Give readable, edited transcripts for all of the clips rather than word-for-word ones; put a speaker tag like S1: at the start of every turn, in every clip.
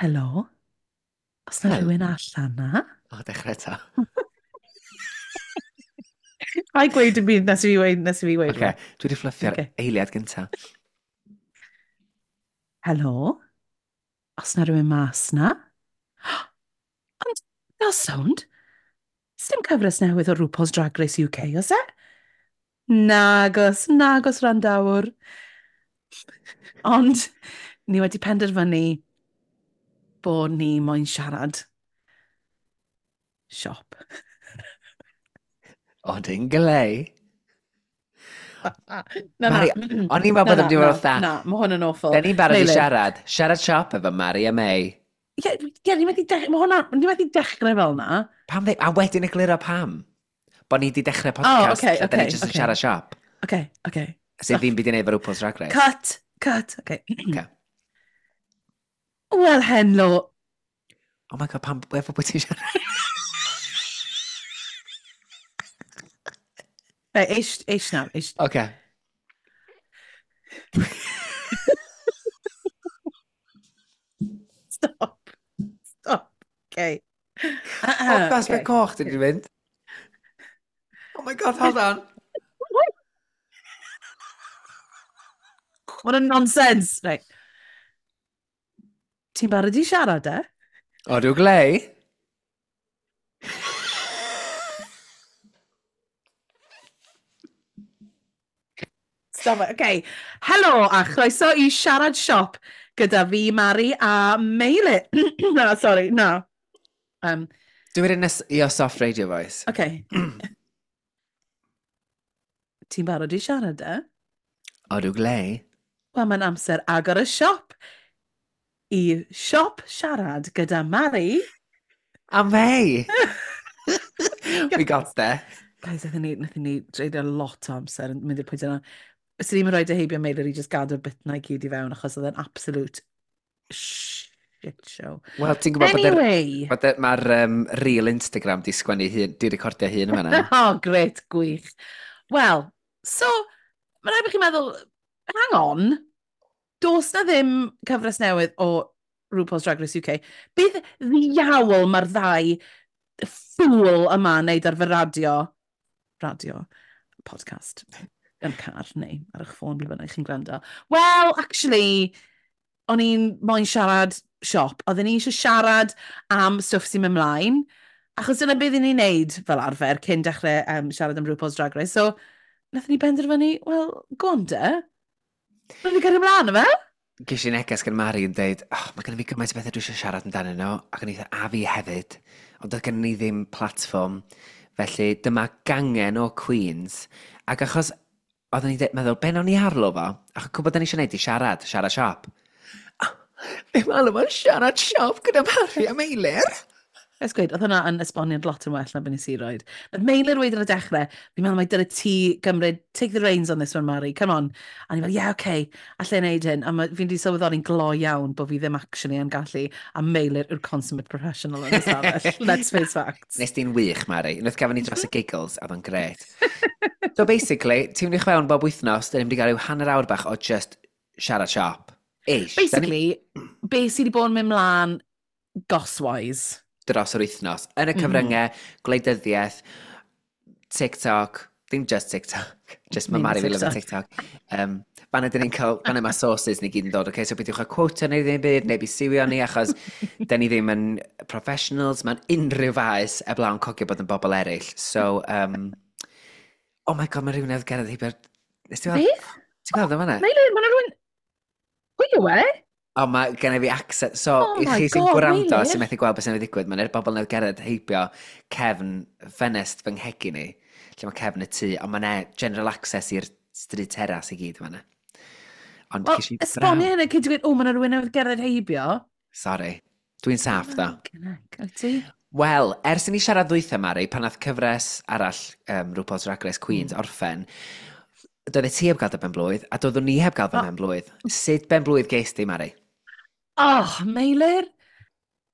S1: Helo? Os na
S2: Hel-
S1: rhywun allan na?
S2: O, dechrau eto.
S1: A i gweud yn byd nes i fi weud, nes i fi weud.
S2: Oce, dwi wedi fluffio'r
S1: Ocê.
S2: eiliad gynta.
S1: Helo? Os na rhywun mas na? Ond, fel sownd, sdim cyfres newydd o RuPaul's Drag Race UK, oes e? Nagos, nagos randawr. Ond, ni wedi penderfynu bod ni moyn siarad siop.
S2: O, dyn glei.
S1: Na, na.
S2: Mari, o'n i'n meddwl bod
S1: Na,
S2: yn mynd i
S1: na,
S2: fod fatha,
S1: Na, mae hwn yn awful.
S2: Da ni'n barod i
S1: Meilir.
S2: siarad. Siarad siop efo Mari a May.
S1: Ie, ie, ni methu dech- mae hwnna, ni methu dechrau fel na.
S2: Pam ddim? A wedyn egluro pam. Bo ni wedi dechrau podcast
S1: ocê,
S2: lle da ni
S1: ocê,
S2: jyst yn
S1: ocê.
S2: siarad siop.
S1: Oce, oce.
S2: Sydd ddim byd i wneud efo RuPaul's Drag Race.
S1: Cut, cut, oce.
S2: Ocê.
S1: Wel, henlo.
S2: Oh my god, pam, efo bwy ti'n siarad?
S1: Right, eish, eish nawr, eish.
S2: Oce.
S1: Stop. Stop. Okay.
S2: O, das be coch ti wedi mynd? Oh my god, hold on.
S1: What a nonsense. Right. Ti'n barod i siarad, e?
S2: O, dwi'n glei.
S1: Stop it. Okay. Helo a chroeso i Siarad Siop gyda fi, Mari a Meilir. Na, sorry, na.
S2: Do it in a, your soft radio voice.
S1: Okay. Ti'n barod i siarad, e?
S2: O, dwi'n glei.
S1: Wel, mae'n amser agor y siop i Siop Siarad gyda Mari.
S2: A May! We got there.
S1: Guys, nathon ni dreulio lot o amser yn mynd i'r pwynt yna. Swn i'n rhoi dy heibio Meilir i just gadw'r bit na i gyd i fewn, achos oedd e'n absolute shit show.
S2: Wel, ti'n gwybod bod yr-
S1: Anyway!
S2: bod y- mae'r real Instagram di sgwennu hun, di recordio hun yma na.
S1: Oh, great, gwych. Wel, so, mae'n rhaid bod chi'n meddwl, hang on, does na ddim cyfres newydd o RuPaul's Drag Race UK. Beth ddiawl mae'r ddau ffŵl yma yn neud ar fy radio, podcast, yn car neu ar eich ffôn, ble bynnag chi'n gwrando. Wel, actually, o'n i'n moyn siarad siop. Oedden ni eisiau siarad am stwff sy'n mynd mlaen, achos dyna beth ni'n neud fel arfer cyn dechrau siarad am RuPaul's Drag Race. So, nathon ni benderfynu, wel, go on de. Rwy'n ni cario ymlaen yma?
S2: Ges i neges gan Mari yn deud, oh, mae gen i fi gymaint o bethau dwi eisiau siarad amdanyn nhw, ac o'n i dweud, a fi hefyd, ond doedd gen ni ddim platfform. Felly dyma gangen o Queens, ac achos oedden ni'n meddwl, be nawn ni arlo fo? Ac gwybod da ni eisiau gwneud i siarad, siarad siop. Be maen nhw'n siarad siop gyda Mari a Meilir?
S1: Ers gweud, oedd hwnna yn esboniad lot yn well na beth nes i roed. Nath Meilir weud yn y dechrau, fi'n meddwl mai dyle ti gymryd, take the reins on this one, Mari, come on. A ni'n fel, yeah, okay, allai wneud hyn. A fi'n di sylweddoli'n glo iawn bod fi ddim actually yn gallu, a Meilir yw'r consummate professional yn y stafell. Let's face facts.
S2: Nes di'n wych, Mari. Unwaith gafon ni dros y giggles, a oedd o'n gret. So basically, ti'n mynd i fewn bob wythnos, dyn ni'n mynd i gael rhyw hanner awr bach o just siarad siop. Ish.
S1: Basically, be sydd wedi bod yn mynd mlaen goss-wise.
S2: Dros yr wythnos. Yn y cyfryngau, gwleidyddiaeth, TikTok, ddim just TikTok, just mae
S1: Ddim
S2: Mari fi lyfio TikTok. Fanna dyn ni'n cael, fanna mae sources ni gyd yn dod, okay? So beidiwch â quote neu ddim byd, neu bi siwio ni, achos dyn ni ddim yn professionals, mae'n unrhyw faes eblaw yn cogio bod yn bobl eraill. So, oh my god, mae rhywun newydd gerdded heibio'r... Nes ti weld?
S1: Beth?
S2: Ti'n gweld o fanna?
S1: Meilir, mae'n rhywun... Pwy yw e?
S2: O, mae gen i fi accent. So,
S1: Oh
S2: i
S1: my
S2: chi sy'n
S1: God,
S2: gwrando,
S1: Meilir.
S2: sy'n methu gweld beth sy'n ddigwydd, mae'n bobl newydd gerdded heibio cefn ffenest fy nghegin ni, lle mae cefn y tŷ, ond mae'n general access i'r stryd teras i gyd fanna. Ond
S1: Wel,
S2: ces i
S1: esbonio
S2: braw.
S1: hynny cyn ti gweud, o, mae'n rhywun newydd gerdded heibio.
S2: Sorry. Dwi'n saff, ddo.
S1: Fucking heck, wyt ti?
S2: Wel, ers i ni siarad ddwytha, Mari, pan nath cyfres arall RuPaul's Drag Race Queens orffen, doedd ti heb gael dy ben-blwydd, a doeddwn ni heb gael fy
S1: O.
S2: ben-blwydd. Sut ben-blwydd ges di, Mari?
S1: Oh, Meilir.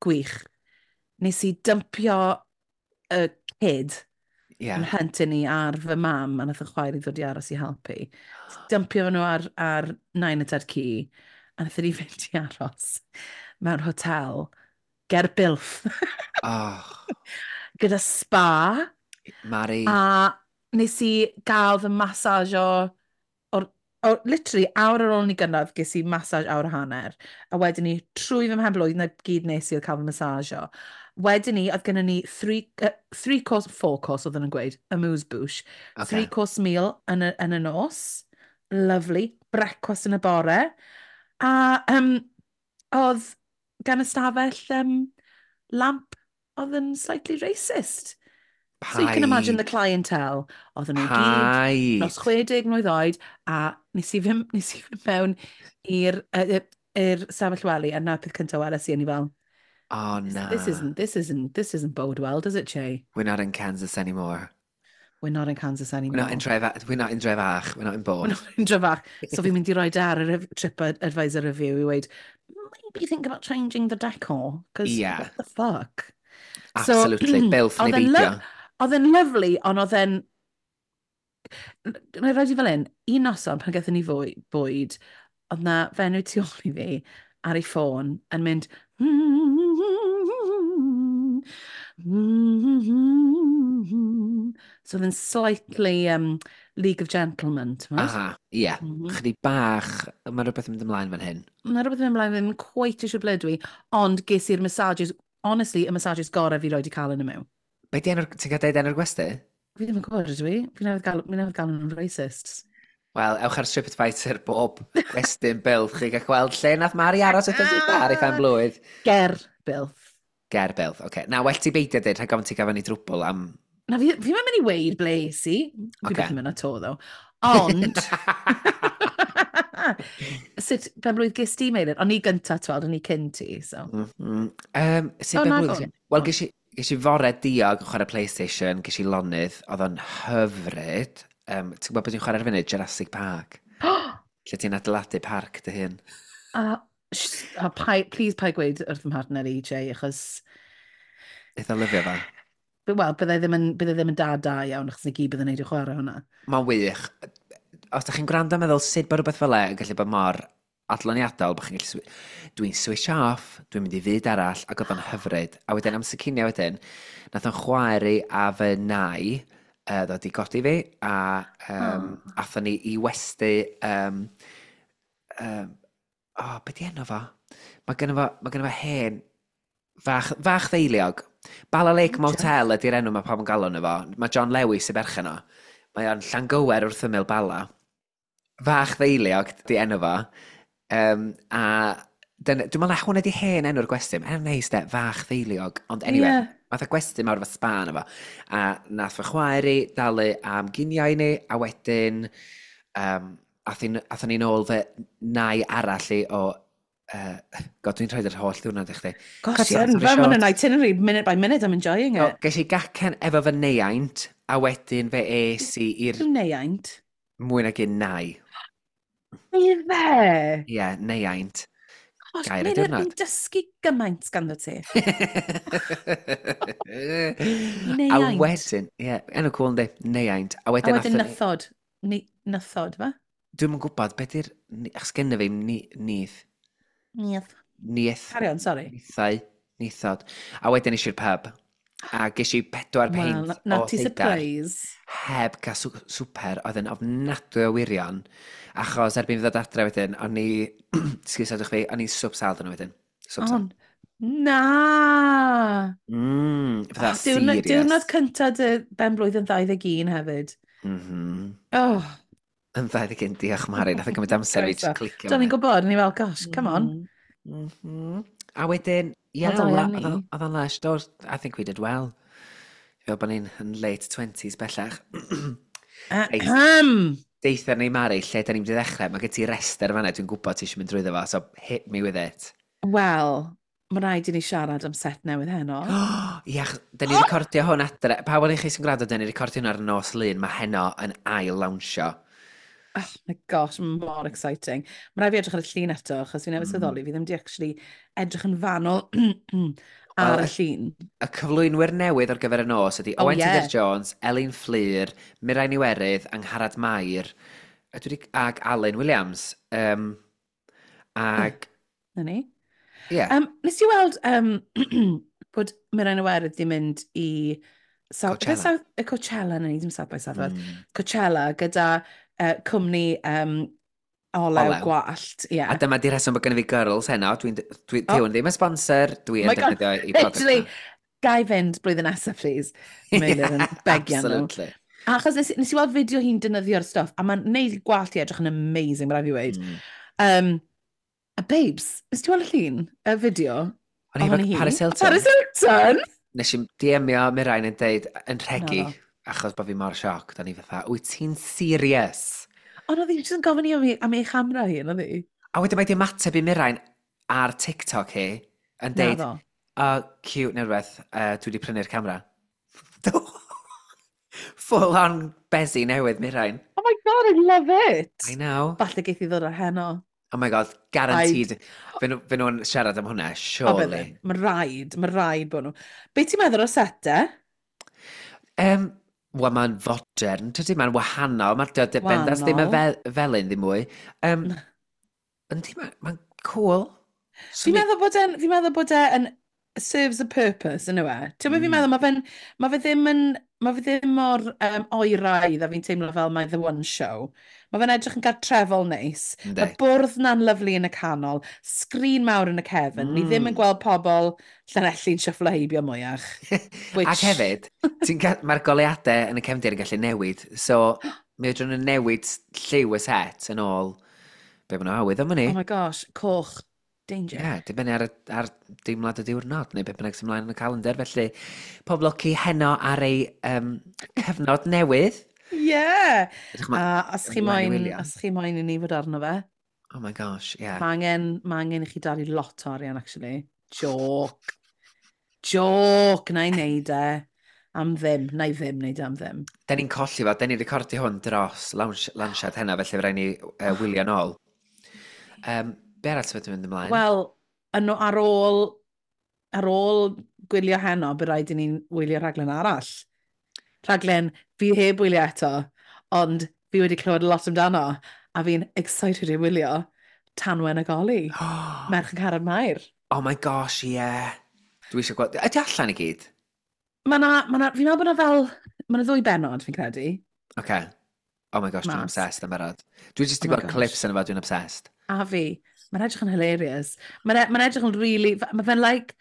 S1: Gwych. Nes i dympio y kid yn huntyn ni ar fy mam, a nath y chwaer i ddod i aros i helpu. Nes i dympio nhw ar nain a tad-cu, A wnaethon ni fynd i aros mewn hotel ger Builth.
S2: Oh.
S1: Gyda spa.
S2: Mari.
S1: A nes i gael fy massage o literally, awr ar ôl ni gyrraedd, ges i massage awr a hanner. A wedyn ni, trwy fy mhen-blwydd, na gyd nes i oedd cael fy massage o. Wedyn ni, oedd gennym ni three course, four course oedden nhw'n gweud, amuse bouche. Three course meal yn y nos. Lovely. Brecwast yn y bore. A oedd gan y stafell lamp oedd yn slightly racist. So you can imagine the clientele. Oedden nhw gyd dros 60 mlwydd oed, a nes i fynd mewn i'r stafell wely, a na peth cyntaf weles i, a ni fel,
S2: Oh, na.
S1: This isn't bode well, does it, Che?
S2: We're not in Kansas anymore.
S1: We're not in Kansas anymore.
S2: We're not in Tref, we're not in Drefach, we're not in
S1: We're
S2: Borth.
S1: not in Drefach. So fi'n mynd i roi ar y TripAdvisor review i weud, "Maybe think about changing the decor, because what the fuck?"
S2: Absolutely. Builth neu
S1: oedd e'n
S2: beidio.
S1: Oedd e'n lovely, ond oedd e'n... Na i rhaid i fel un, un noson pan gaethon ni bwyd, oedd na fenyw tu ôl i fi ar ei ffôn yn mynd. So oedd yn slightly League of Gentlemen, ti'n gwbod?
S2: Aha, ie. Chydig bach, mae rhywbeth yn mynd ymlaen fan hyn.
S1: Mae rhywbeth yn mynd ymlaen, ddim quite eisiau ble dwi, ond ges i'r massages, honestly, y massages gorau fi roed i cael yn y mewn.
S2: Be di enw'r, ti'n cael deud enw'r gwesty?
S1: Fi ddim yn gwybod ydw i. Fi newydd gael nhw'n racists.
S2: Wel, ewch ar TripAdvisor bob gwestiwn Builth, chi gael gweld lle nath Mari aros wrth ddiwetha ar ei phen blwydd.
S1: Ger Builth.
S2: Ger Builth, oce. Okay. Na, well ti beidio dweud, rhag ofn ti gafon ni drwbl am.
S1: Na, fi ddim yn mynd i weud ble es i. Fi byth yn mynd 'to, though. Ond, sut ben blwydd ges ti, Meilir? O'n i gynta, tweld, o'n i cyn ti, so.
S2: Sut
S1: O,
S2: ben
S1: na,
S2: blwydd?
S1: go on.
S2: Wel, ges i fore diog yn chwarae PlayStation, ges i lonydd, oedd o'n hyfryd. Ti'n gwybod beth dwi'n chwarae ar y funud? Jurassic Park. Lle ti'n adeiladu parc dy hun.
S1: A please pai gweud wrth fy mhartner i, Jay, achos,
S2: Eitha lyfio fo.
S1: Wel, byddai ddim yn dad da iawn, achos ni gyd byddai'n neud i chwarae hwnna.
S2: Mae'n wych. Os da chi'n gwrando a meddwl sut bod rhywbeth fel e yn gallu bod mor adloniadol, bod chi'n gallu... Dwi'n switch off, dwi'n mynd i fyd arall, ac oedd o'n hyfryd. A wedyn am cinio wedyn, nath o'n chwaer i a fy nai ddod i godi fi, a
S1: Oh.
S2: athon ni i westy. Oh, be di enw fo? Mae gynno fo hen fach ddeiliog. Bala Lake
S1: O,
S2: Motel ydy'r enw mae pawb yn galw nhw fo. Mae John Lewis y berchen o. Mae o'n Llangywer wrth ymyl Bala. Fach ddeiliog di enw fo. A dyna, dwi'n meddwl na hwnna di hen enw'r gwesti. Mae'n neis de, fach ddeiliog. Ond anyway, math o gwesti mawr efo spa yna fo. A nath fy chwaer i dalu am ginio i ni, a wedyn athon ni nôl fy nai arall i o. God, dwi'n rhaid yr holl ddiwrnod i chdi.
S1: Gosh,
S2: Cut
S1: yeah,
S2: long story
S1: fel ma'n
S2: short.
S1: an itinerary, minute by minute, I'm enjoying
S2: So,
S1: it.
S2: ges i gacen efo fy neiaint, a wedyn fe es i i'r
S1: Yw neiaint?
S2: Mwy nag un nai.
S1: Ife?
S2: Ie, yeah, neiaint.
S1: Gosh,
S2: Gair y
S1: Meilir,
S2: diwrnod.
S1: fi'n dysgu gymaint ganddo ti.
S2: A
S1: Neiaint.
S2: wedyn, ie, yeah, enw cool yndi, neiaint. A
S1: A
S2: wedyn,
S1: wedyn
S2: athon ni-
S1: nythod. Ni, nythod, fe?
S2: Dwi'm yn gwybod, beth yw'r... Achos genna fi nith.
S1: Nith.
S2: Nith.
S1: Carry on, sorry.
S2: Nithau. Nithod. A wedyn es i'r pub. A ges i 4
S1: Wel,
S2: peint
S1: na
S2: o
S1: ti
S2: seidar.
S1: surprise.
S2: Heb cael swper, oedd yn ofnadwy o wirion. Achos erbyn fi ddod adre wedyn, o'n i... Excuse fi, o'n i'n swp sal dyn wedyn. Swp sal.
S1: On. Na!
S2: Fatha
S1: Oh, diwrnod,
S2: serious.
S1: diwrnod cynta dy ben blwydd yn 21 hefyd. Oh,
S2: Yn 21, diolch Mari. Nath o gymryd amser i fi just
S1: Croeso.
S2: clicio.
S1: Do'n i'n gwybod, o'n i fel, "Gosh, come on."
S2: A wedyn, ie,
S1: Wel, da iawn ni.
S2: oedd o'n lush. Do, I think we did well. Fel bod ni'n yn late 20s bellach. Reit.
S1: Ahem.
S2: Deutha ni, Mari, lle da ni'n mynd i ddechrau. Mae gen ti rester fan'na, dwi'n gwybod ti eisiau mynd drwyddo fo, so hit me with it.
S1: Wel, mae rhaid i ni siarad am set newydd heno.
S2: Ie, da ni'n recordio hwn adre. Pawb o'n i chi sy'n gwrando, da ni'n recordio hwn ar nos Lun. Mae heno yn ail lawnsio.
S1: Oh my gosh, mor exciting. Mae rhaid fi edrych ar y llun eto, achos fi newydd sylweddoli, fi ddim di actually edrych yn fanwl ar
S2: Wel,
S1: y llun.
S2: Y cyflwynwyr newydd ar gyfer y nos ydy
S1: Oh,
S2: Owen Tudur
S1: yeah.
S2: Jones, Elin Fflur, Mirain Iwerydd, Angharad Mair a dwi 'di, ag Alun Williams. Ag...
S1: Na ni.
S2: Ie. Yeah.
S1: Nes i weld bod Mirain Iwerydd di mynd i South,
S2: Coachella.
S1: South, Coachella, na ni, dim South by Southwest. Coachella gyda cwmni olew,
S2: Olew.
S1: Gwallt. Yeah.
S2: A dyma di rheswm bod gennym fi girls heno. Dwi'n, dwi,
S1: Oh.
S2: oh. Ddim yn sponsor, dwi yn
S1: My God,
S2: defnyddio i product
S1: literally,
S2: nhw.
S1: Gai fynd blwyddyn nesaf, please. Meilir yn begian nhw.
S2: Absolutely.
S1: Achos nes i weld fideo hi'n defnyddio'r stuff, a mae'n neud gwallt i edrych yn amazing, mae rhaid fi weud. A babes, nes ti weld y llun, y fideo?
S2: O'n i
S1: Ohoni
S2: efo
S1: hi?
S2: Paris Hilton.
S1: Paris Hilton!
S2: Nes i DM-io Mirain yn deud, yn rhegi,
S1: Naddo.
S2: Achos bod fi mor sioc, da ni fatha, "Wyt ti'n serious?"
S1: Ond oedd hi jyst yn gofyn i am ei chamera hi, oedd hi?
S2: A wedyn mae di ymateb i Mirain ar TikTok hi, yn deud,
S1: Naddo.
S2: "Oh, cute neu rhywbeth, dwi wedi prynu'r camera." Full on bezi newydd Mirain.
S1: Oh my God, I love it!
S2: I know.
S1: Falle geith i ddod ar heno.
S2: Oh my God, guaranteed. Fe nhw'n siarad am hwnna,
S1: O,
S2: surely.
S1: bydden. Mae rhaid bod nhw. Be ti'n meddwl o'r set e?
S2: Wel, mae'n fodern, tydi? Mae'n wahanol. Mae'r bendas ddim yn
S1: Wahanol.
S2: felyn ddim mwy. Yndi, mae'n cool.
S1: Fi'n meddwl bod e'n serves a purpose, yn yw e? Ti'n meddwl, fi'n meddwl, mae fe ddim mor oeraidd a fi'n teimlo fel mae The One Show. Mae fe'n edrych yn gartrefol neis. Mae bwrdd na'n lyfli yn y canol, sgrin mawr yn y cefn. Ni ddim yn gweld pobl Llanelli'n shufflo heibio mwyach. Which...
S2: Ac hefyd, mae'r goleuadau yn y cefndir yn gallu newid. So, mi fedrwn nhw newid lliw y set yn ôl be maen nhw awydd am hynny.
S1: Oh my gosh, coch. Danger.
S2: Ie, yeah, dibynnu ar deimlad y diwrnod, neu beth bynnag sy'n mlaen yn y calendar. Felly, pob lwc i heno ar ei cyfnod newydd.
S1: Yeah.
S2: Edrych
S1: A os chi
S2: ymlaen i
S1: moyn,
S2: wylio.
S1: os chi moyn i ni fod arno fe,
S2: Oh my gosh, yeah.
S1: mae angen i chi dalu lot o arian, actually. Joke. Joke, na i wneud e. Am ddim. Na i ddim wneud e am ddim.
S2: Da ni'n colli fo, da ni'n recordio hwn dros launchiad heno, felly fe rhaid ni wylio nôl. Be arall sy'n mynd ymlaen?
S1: Wel, yno ar ôl gwylio heno, bydd rhaid i ni'n wylio rhaglen arall. Rhaglen fi heb wylio eto, ond fi wedi clywed lot amdano, a fi'n excited i wylio Tanwen ac Oli, Merch Angharad Mair.
S2: Oh my gosh, yeah. Dwi eisiau gweld. Ydy allan i gyd?
S1: Ma na, fi'n meddwl bod na fel, ma na ddwy bennod, fi'n credu.
S2: Okay. Oh my gosh, dwi'n
S1: Mas.
S2: obsessed am barod. Dwi jyst
S1: Oh
S2: wedi
S1: my
S2: gweld
S1: gosh.
S2: clips yn efo, dwi'n obsessed.
S1: A fi. Mae'n edrych yn hilarious. Mae'n edrych yn really. Mae fe'n like...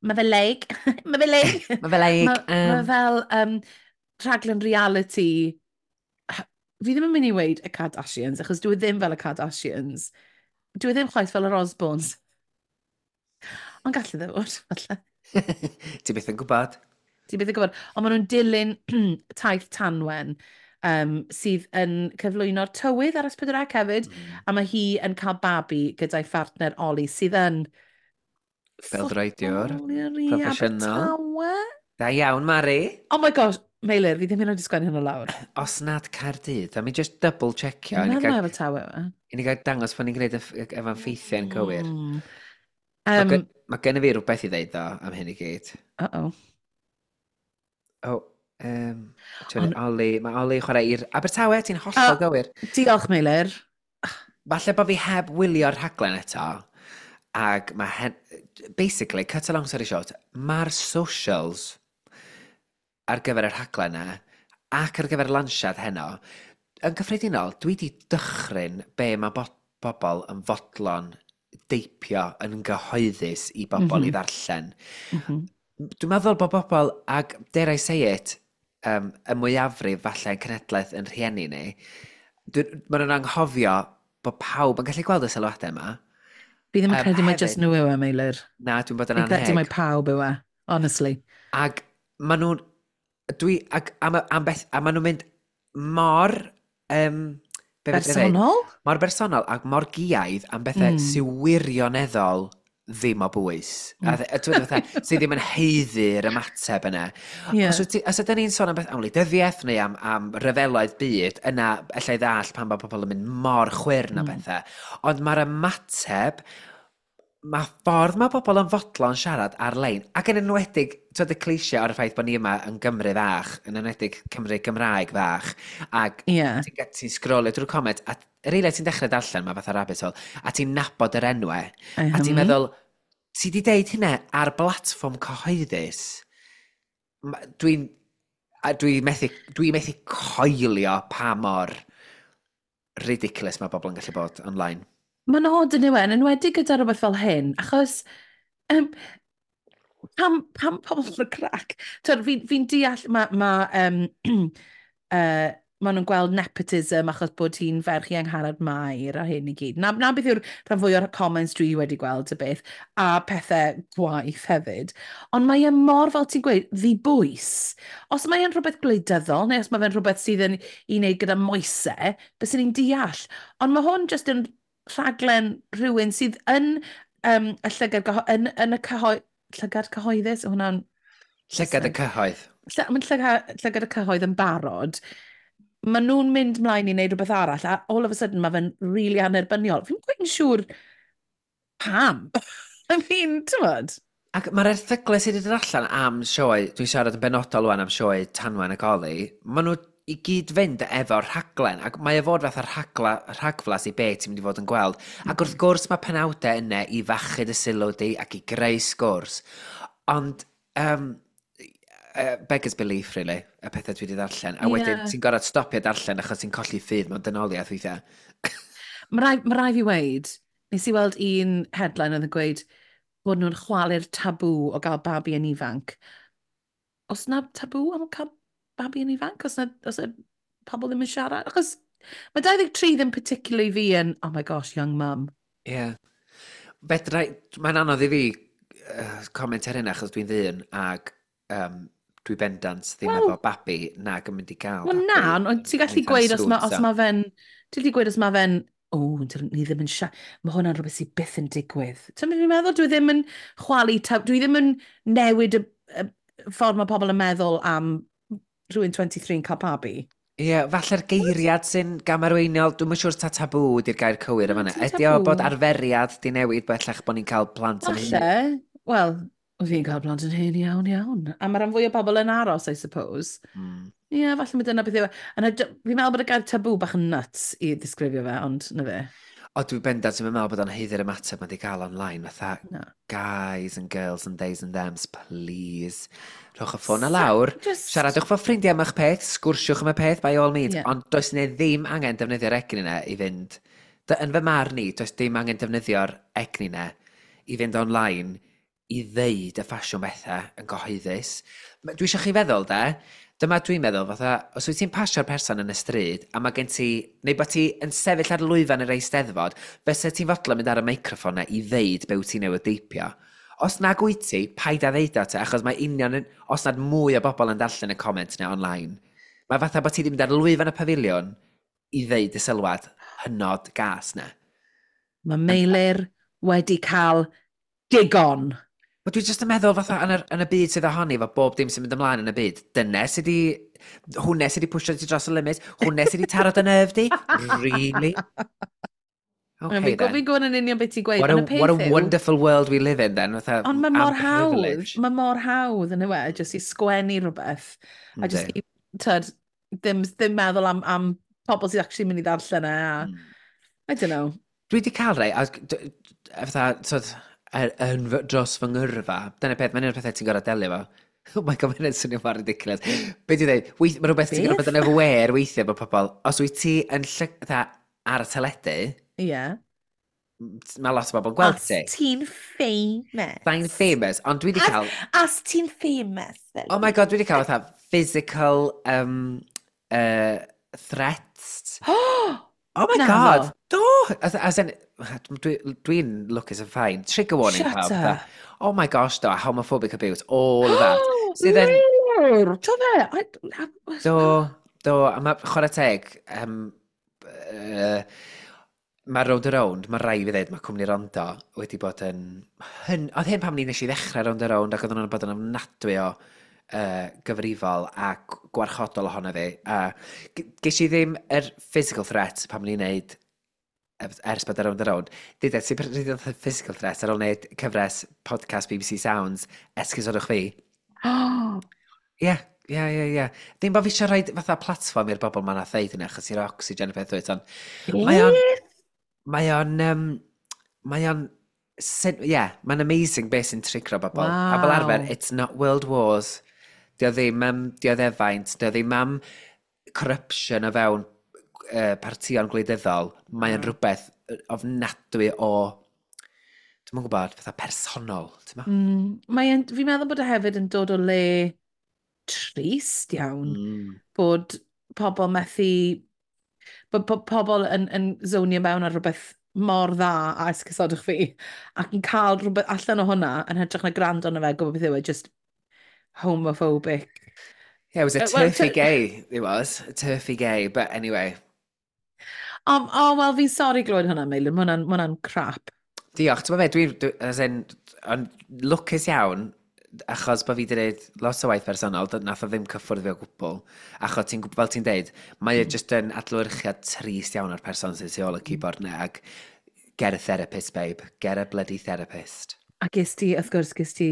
S1: Mae fe like... Mae fe like...
S2: Mae fe like...
S1: Mae ma fel rhaglen reality. Fi ddim yn mynd i weud y Kardashians, achos dwi ddim fel y Kardashians. Dwi ddim chwaith fel yr Osbournes. Ond gallu dde fod, falle.
S2: Ti byth yn gwybod.
S1: Ti byth yn gwybod. Ond maen nhw'n dilyn taith Tanwen, sydd yn cyflwyno'r tywydd ar S4C hefyd. A mae hi yn cael babi gyda'i phartner Oli, sydd yn
S2: Beldroediwr
S1: footballer i
S2: proffesiynol.
S1: Abertawe.
S2: Da iawn, Mari.
S1: Oh my gosh, Meilir, fi ddim yn oed i sgwennu hwnna lawr.
S2: Os nad Caerdydd, a mi just double checio.
S1: Dwi'n
S2: I ni
S1: meddwl
S2: gael,
S1: mai Abertawe yw e.
S2: i ni gael dangos pan ni'n gwneud efo'n ffeithiau'n cywir. Mae ma gen i fi rhywbeth i ddeud ddo am hyn i gyd.
S1: Uh-oh.
S2: Oh, Oli, mae Oli chwarae i'r Abertawe, ti'n hollol gywir.
S1: Diolch, Meilir.
S2: Falle bod fi heb wylio'r rhaglen eto, ac mae basically, cut a long story short, mae'r socials ar gyfer y rhaglen na, ac ar gyfer y lansiad heno, yn gyffredinol, dwi wedi dychryn be mae bobl yn fodlon deipio yn gyhoeddus i bobl i ddarllen. Dwi'n meddwl bod bobl, ac dare I say it, y mwyafrif falle yn cenhedlaeth yn rhieni ni, maen nhw'n anghofio bod pawb yn gallu gweld y sylwadau yma.
S1: Fi ddim yn credu mai
S2: hefyd-
S1: just nhw yw e, Meilir.
S2: Na, dwi'n bod yn
S1: Fi'n credu mai
S2: anheg.
S1: pawb yw e, honestly.
S2: Ac maen nhw'n... Dwi... Ac am beth... A maen nhw'n mynd mor... Be fedra i ddeud?
S1: Bersonol?
S2: Mor bersonol ac mor giaidd am bethau sy'n wirioneddol ddim o bwys. A ti'n gwbod fatha, sydd ddim yn haeddu'r ymateb yna. Os ydyn ni'n sôn am beth am wleidyddiaeth neu am ryfeloedd byd, yna allai ddallt pan bod pobl yn mynd mor chwyrn o bethau. Ond mae'r ymateb Mae ffordd mae bobl yn fodlon siarad ar-lein, ac yn enwedig, twyd y cliché o'r ffaith bod ni yma yn Gymru fach, yn enwedig Cymru Gymraeg fach, ac ti'n ti sgrolio drwy'r comment, a yr eiliad ti'n dechrau darllen, mae fatha rabbit hole, a ti'n nabod yr enwau, a ti'n meddwl, ti di deud hynna ar blatfform cyhoeddus, dwi methu coelio pa mor ridiculous mae bobl yn gallu bod online.
S1: Mae'n odd yn yw e, yn enwedig gyda rhywbeth fel hyn, achos pam pobl yn crac? Fi'n deall, ma nhw'n gweld nepotism achos bod hi'n ferch i Angharad Mair a hyn i gyd. Na beth yw'r rhan fwy o'r comments dwi wedi gweld y beth, a pethau gwaith hefyd. Ond mae e mor, fel ti'n gweud, ddibwys. Os mae e'n rhywbeth gwleidyddol, neu os mae fe'n rhywbeth sydd yn i wneud gyda moesau, bys ni'n deall. Ond mae hwn jyst yn rhaglen rhywun sydd yn y llygad, yn y llygad cyhoeddus, hwnna'n
S2: Llygad y cyhoedd.
S1: Mae'n llygad y cyhoedd yn barod. Maen nhw'n mynd mlaen i wneud rhywbeth arall, a all of a sudden mae fe'n really annerbyniol. Fi'n quite yn siŵr pam. I mean, ti'n bod?
S2: Ac mae'r erthyglau sydd wedi dod allan am sioe, dwi'n siarad yn benodol wan am sioe Tanwen ac Oli, maen nhw i gyd fynd efo'r rhaglen, ac mae e fod fatha rhagflas i be ti'n mynd i fod yn gweld. Ac wrth gwrs mae penawdau yna i fachu dy sylw di ac i greu sgwrs. Ond, beggars belief, really, y pethau dwi wedi ddarllen. A wedyn, ti'n gorfod stopio darllen achos ti'n colli ffydd mewn dynoliaeth weithiau.
S1: Mae rai fi weid, nes i weld un headline oedd yn gweud bod nhw'n chwalu'r tabw o gael babi yn ifanc. Os na tabw am cael babi yn ifanc? Os na pobl ddim yn siarad? Achos mae 23 ddim particularly fi yn, "Oh my gosh, young mum."
S2: Ie. Yeah. Fedra, mae'n anodd i fi comment ar hynna achos dwi'n ddyn ac dwi bendant ddim efo babi nag yn mynd i gael
S1: Wel
S2: babi.
S1: na, ond ti'n gallu
S2: anytime
S1: gweud os
S2: soon,
S1: mae os
S2: so.
S1: ma fe'n... Ti'n gallu gweud os mae fe'n, "O, ni ddim yn mae hwnna'n rhywbeth sydd byth yn digwydd." Ti'n mynd i'n meddwl, dwi ddim yn chwalu, dwi ddim yn newid y ffordd mae pobl yn meddwl am rhywun 23 yn cael babi.
S2: Ie, yeah, falle'r geiriad sy'n gamarweiniol, dwi'n siŵr ta tabw di'r gair cywir yma.
S1: Na, dim
S2: Ydy o
S1: tabw.
S2: bod arferiad di newid bellach bod ni'n cael plant yn hyn?
S1: Falle, wel, oedd fi'n cael plant yn hyn iawn, iawn. A mae rhan fwy o bobl yn aros, I suppose. Ie, yeah, falle mae dyna beth yw e. A fi'n meddwl bod y gair tabw bach yn nuts i ddisgrifio fe, ond na fe.
S2: O, dwi'n bendant yn meddwl bod o'n haeddu'r ymateb mae di gael online. Fatha,
S1: Na.
S2: guys and girls and theys and thems, please. Rhowch y ffôn na lawr. Siaradwch fo ffrindiau am eich peth, sgwrsiwch am y peth, by all means. Ond does ne ddim angen defnyddio'r egni yna i fynd... Yn fy marn i, does dim angen defnyddio'r egni yna i fynd online i ddeud y ffasiwn bethau yn gyhoeddus. Dwi eisiau chi feddwl, de, dyma dwi'n meddwl, fatha, os wyt ti'n pasio'r person yn y stryd, a mae gen ti, neu bod ti yn sefyll ar lwyfan yr Eisteddfod, fysa ti'n fodlon mynd ar y meicroffon na i ddeud be wyt ti newydd deipio? Os nag wyt ti, paid â ddeud o te, achos mae union, os nad mwy o bobl yn darllen y comment na online. Mae fatha bod ti wedi mynd ar lwyfan y pafiliwn i ddeud y sylwad hynod gas na.
S1: Mae Meilir wedi cael digon.
S2: Wel, dwi jyst yn meddwl fatha yn y byd sydd ohoni, efo bob dim sy'n mynd ymlaen yn y byd, dyna sydd wedi... Hwne sydd wedi pwysio ti dros y limit, hwne sydd wedi taro dy nerve di? Really? Okay, then.
S1: Fi'n gwybod yn union beth ti'n gweud.
S2: What a,
S1: Ond y peth
S2: what a
S1: yw
S2: wonderful world we live in, then. Fatha,
S1: Ond mae mor
S2: am
S1: hawdd,
S2: privilege.
S1: mae mor hawdd yn yw e, jyst i sgwennu rhywbeth. A jyst i, tyd, ddim meddwl am pobl sydd actually mynd i ddarllen e. A, I don't know.
S2: Dwi wedi cael rei, a fatha, tyd, dros fy ngyrfa, dyna peth, mae'n un o'r pethau ti'n gorfod delio fo. Oh my God, mae'n swnio mor ridiculous. Be dwi'n dweud? Mae rhywbeth ti'n gorfod bod yn
S1: Beth?
S2: aware weithiau bod pobl, os wyt ti yn fatha, ar y teledu, mae lot o bobl yn gweld
S1: Os
S2: ti.
S1: ti'n famous.
S2: Fi'n famous, ond dwi wedi cael,
S1: Os ti'n famous. Fel
S2: oh my God, dwi wedi cael fatha physical threats. Oh my
S1: Naddo.
S2: God, do! As in, dwi'n lwcus yn fine. Trigger warning
S1: Shut
S2: pawb. Fatha,
S1: up.
S2: oh my gosh, do, homophobic abuse, all of that. Sydd yn,
S1: Meilir, do fe?
S2: Do, do, a mae chwarae teg, mae Rownd a Rownd, mae rai fi ddweud, mae cwmni Rondo wedi bod yn... Hyn, oedd hyn pam ni nes i ddechrau Rownd a Rownd ac oedden nhw'n bod yn ofnadwy o gyfrifol a gwarchodol ohono fi. A ges i ddim yr physical threat pam ni'n neud Ers bod ar Rownd a Rownd. Deuda, ti'n pryd oedd physical threat ar ôl wneud cyfres podcast BBC Sounds, esgusodwch fi.
S1: Oh!
S2: Ie. Ddim bod fi eisiau rhoi fatha platfform i'r bobl ma'n ddeud hynny, achos i'r oxygen y peth dweud, ond mae o'n,
S1: Beth?
S2: mae o'n, mae o'n, yeah, mae'n amazing beth sy'n trigro bobl. A fel arfer, it's not world wars, di o ddim am dioddefaint, di o ddim am corruption o fewn partïon gwleidyddol. Mae o'n rhywbeth ofnadwy o, dwi'm yn gwybod, fatha personol, ti'n ma?
S1: Mae'n, fi'n meddwl bod e hefyd yn dod o le trist iawn. Bod pobl methu... Bod pobl yn zonio mewn ar rhywbeth mor dda a esgusodwch fi ac yn cael rhywbeth allan o hwnna yn hytrach na gwrando arno fe, gwybod beth yw e, just homophobic.
S2: Yeah, it was a
S1: Well,
S2: turfy gay, it was. A turfy gay, but anyway.
S1: Oh, oh wel, fi'n sori glywed hwnna, Meilir, ma hwnna'n crap.
S2: Diolch, ti'n meddwl, dwi, as in, ond lwcus iawn, achos bod fi wedi gwneud lot o waith personol, nath o ddim cyffwrdd fi o gwbl. Achos ti'n, fel ti'n deud, mae e just yn adlewyrchiad trist iawn o'r person sy'n tu ôl y keyboard na, ac get a therapist, babe. Get a bloody therapist.
S1: A ges ti, wrth gwrs, ges ti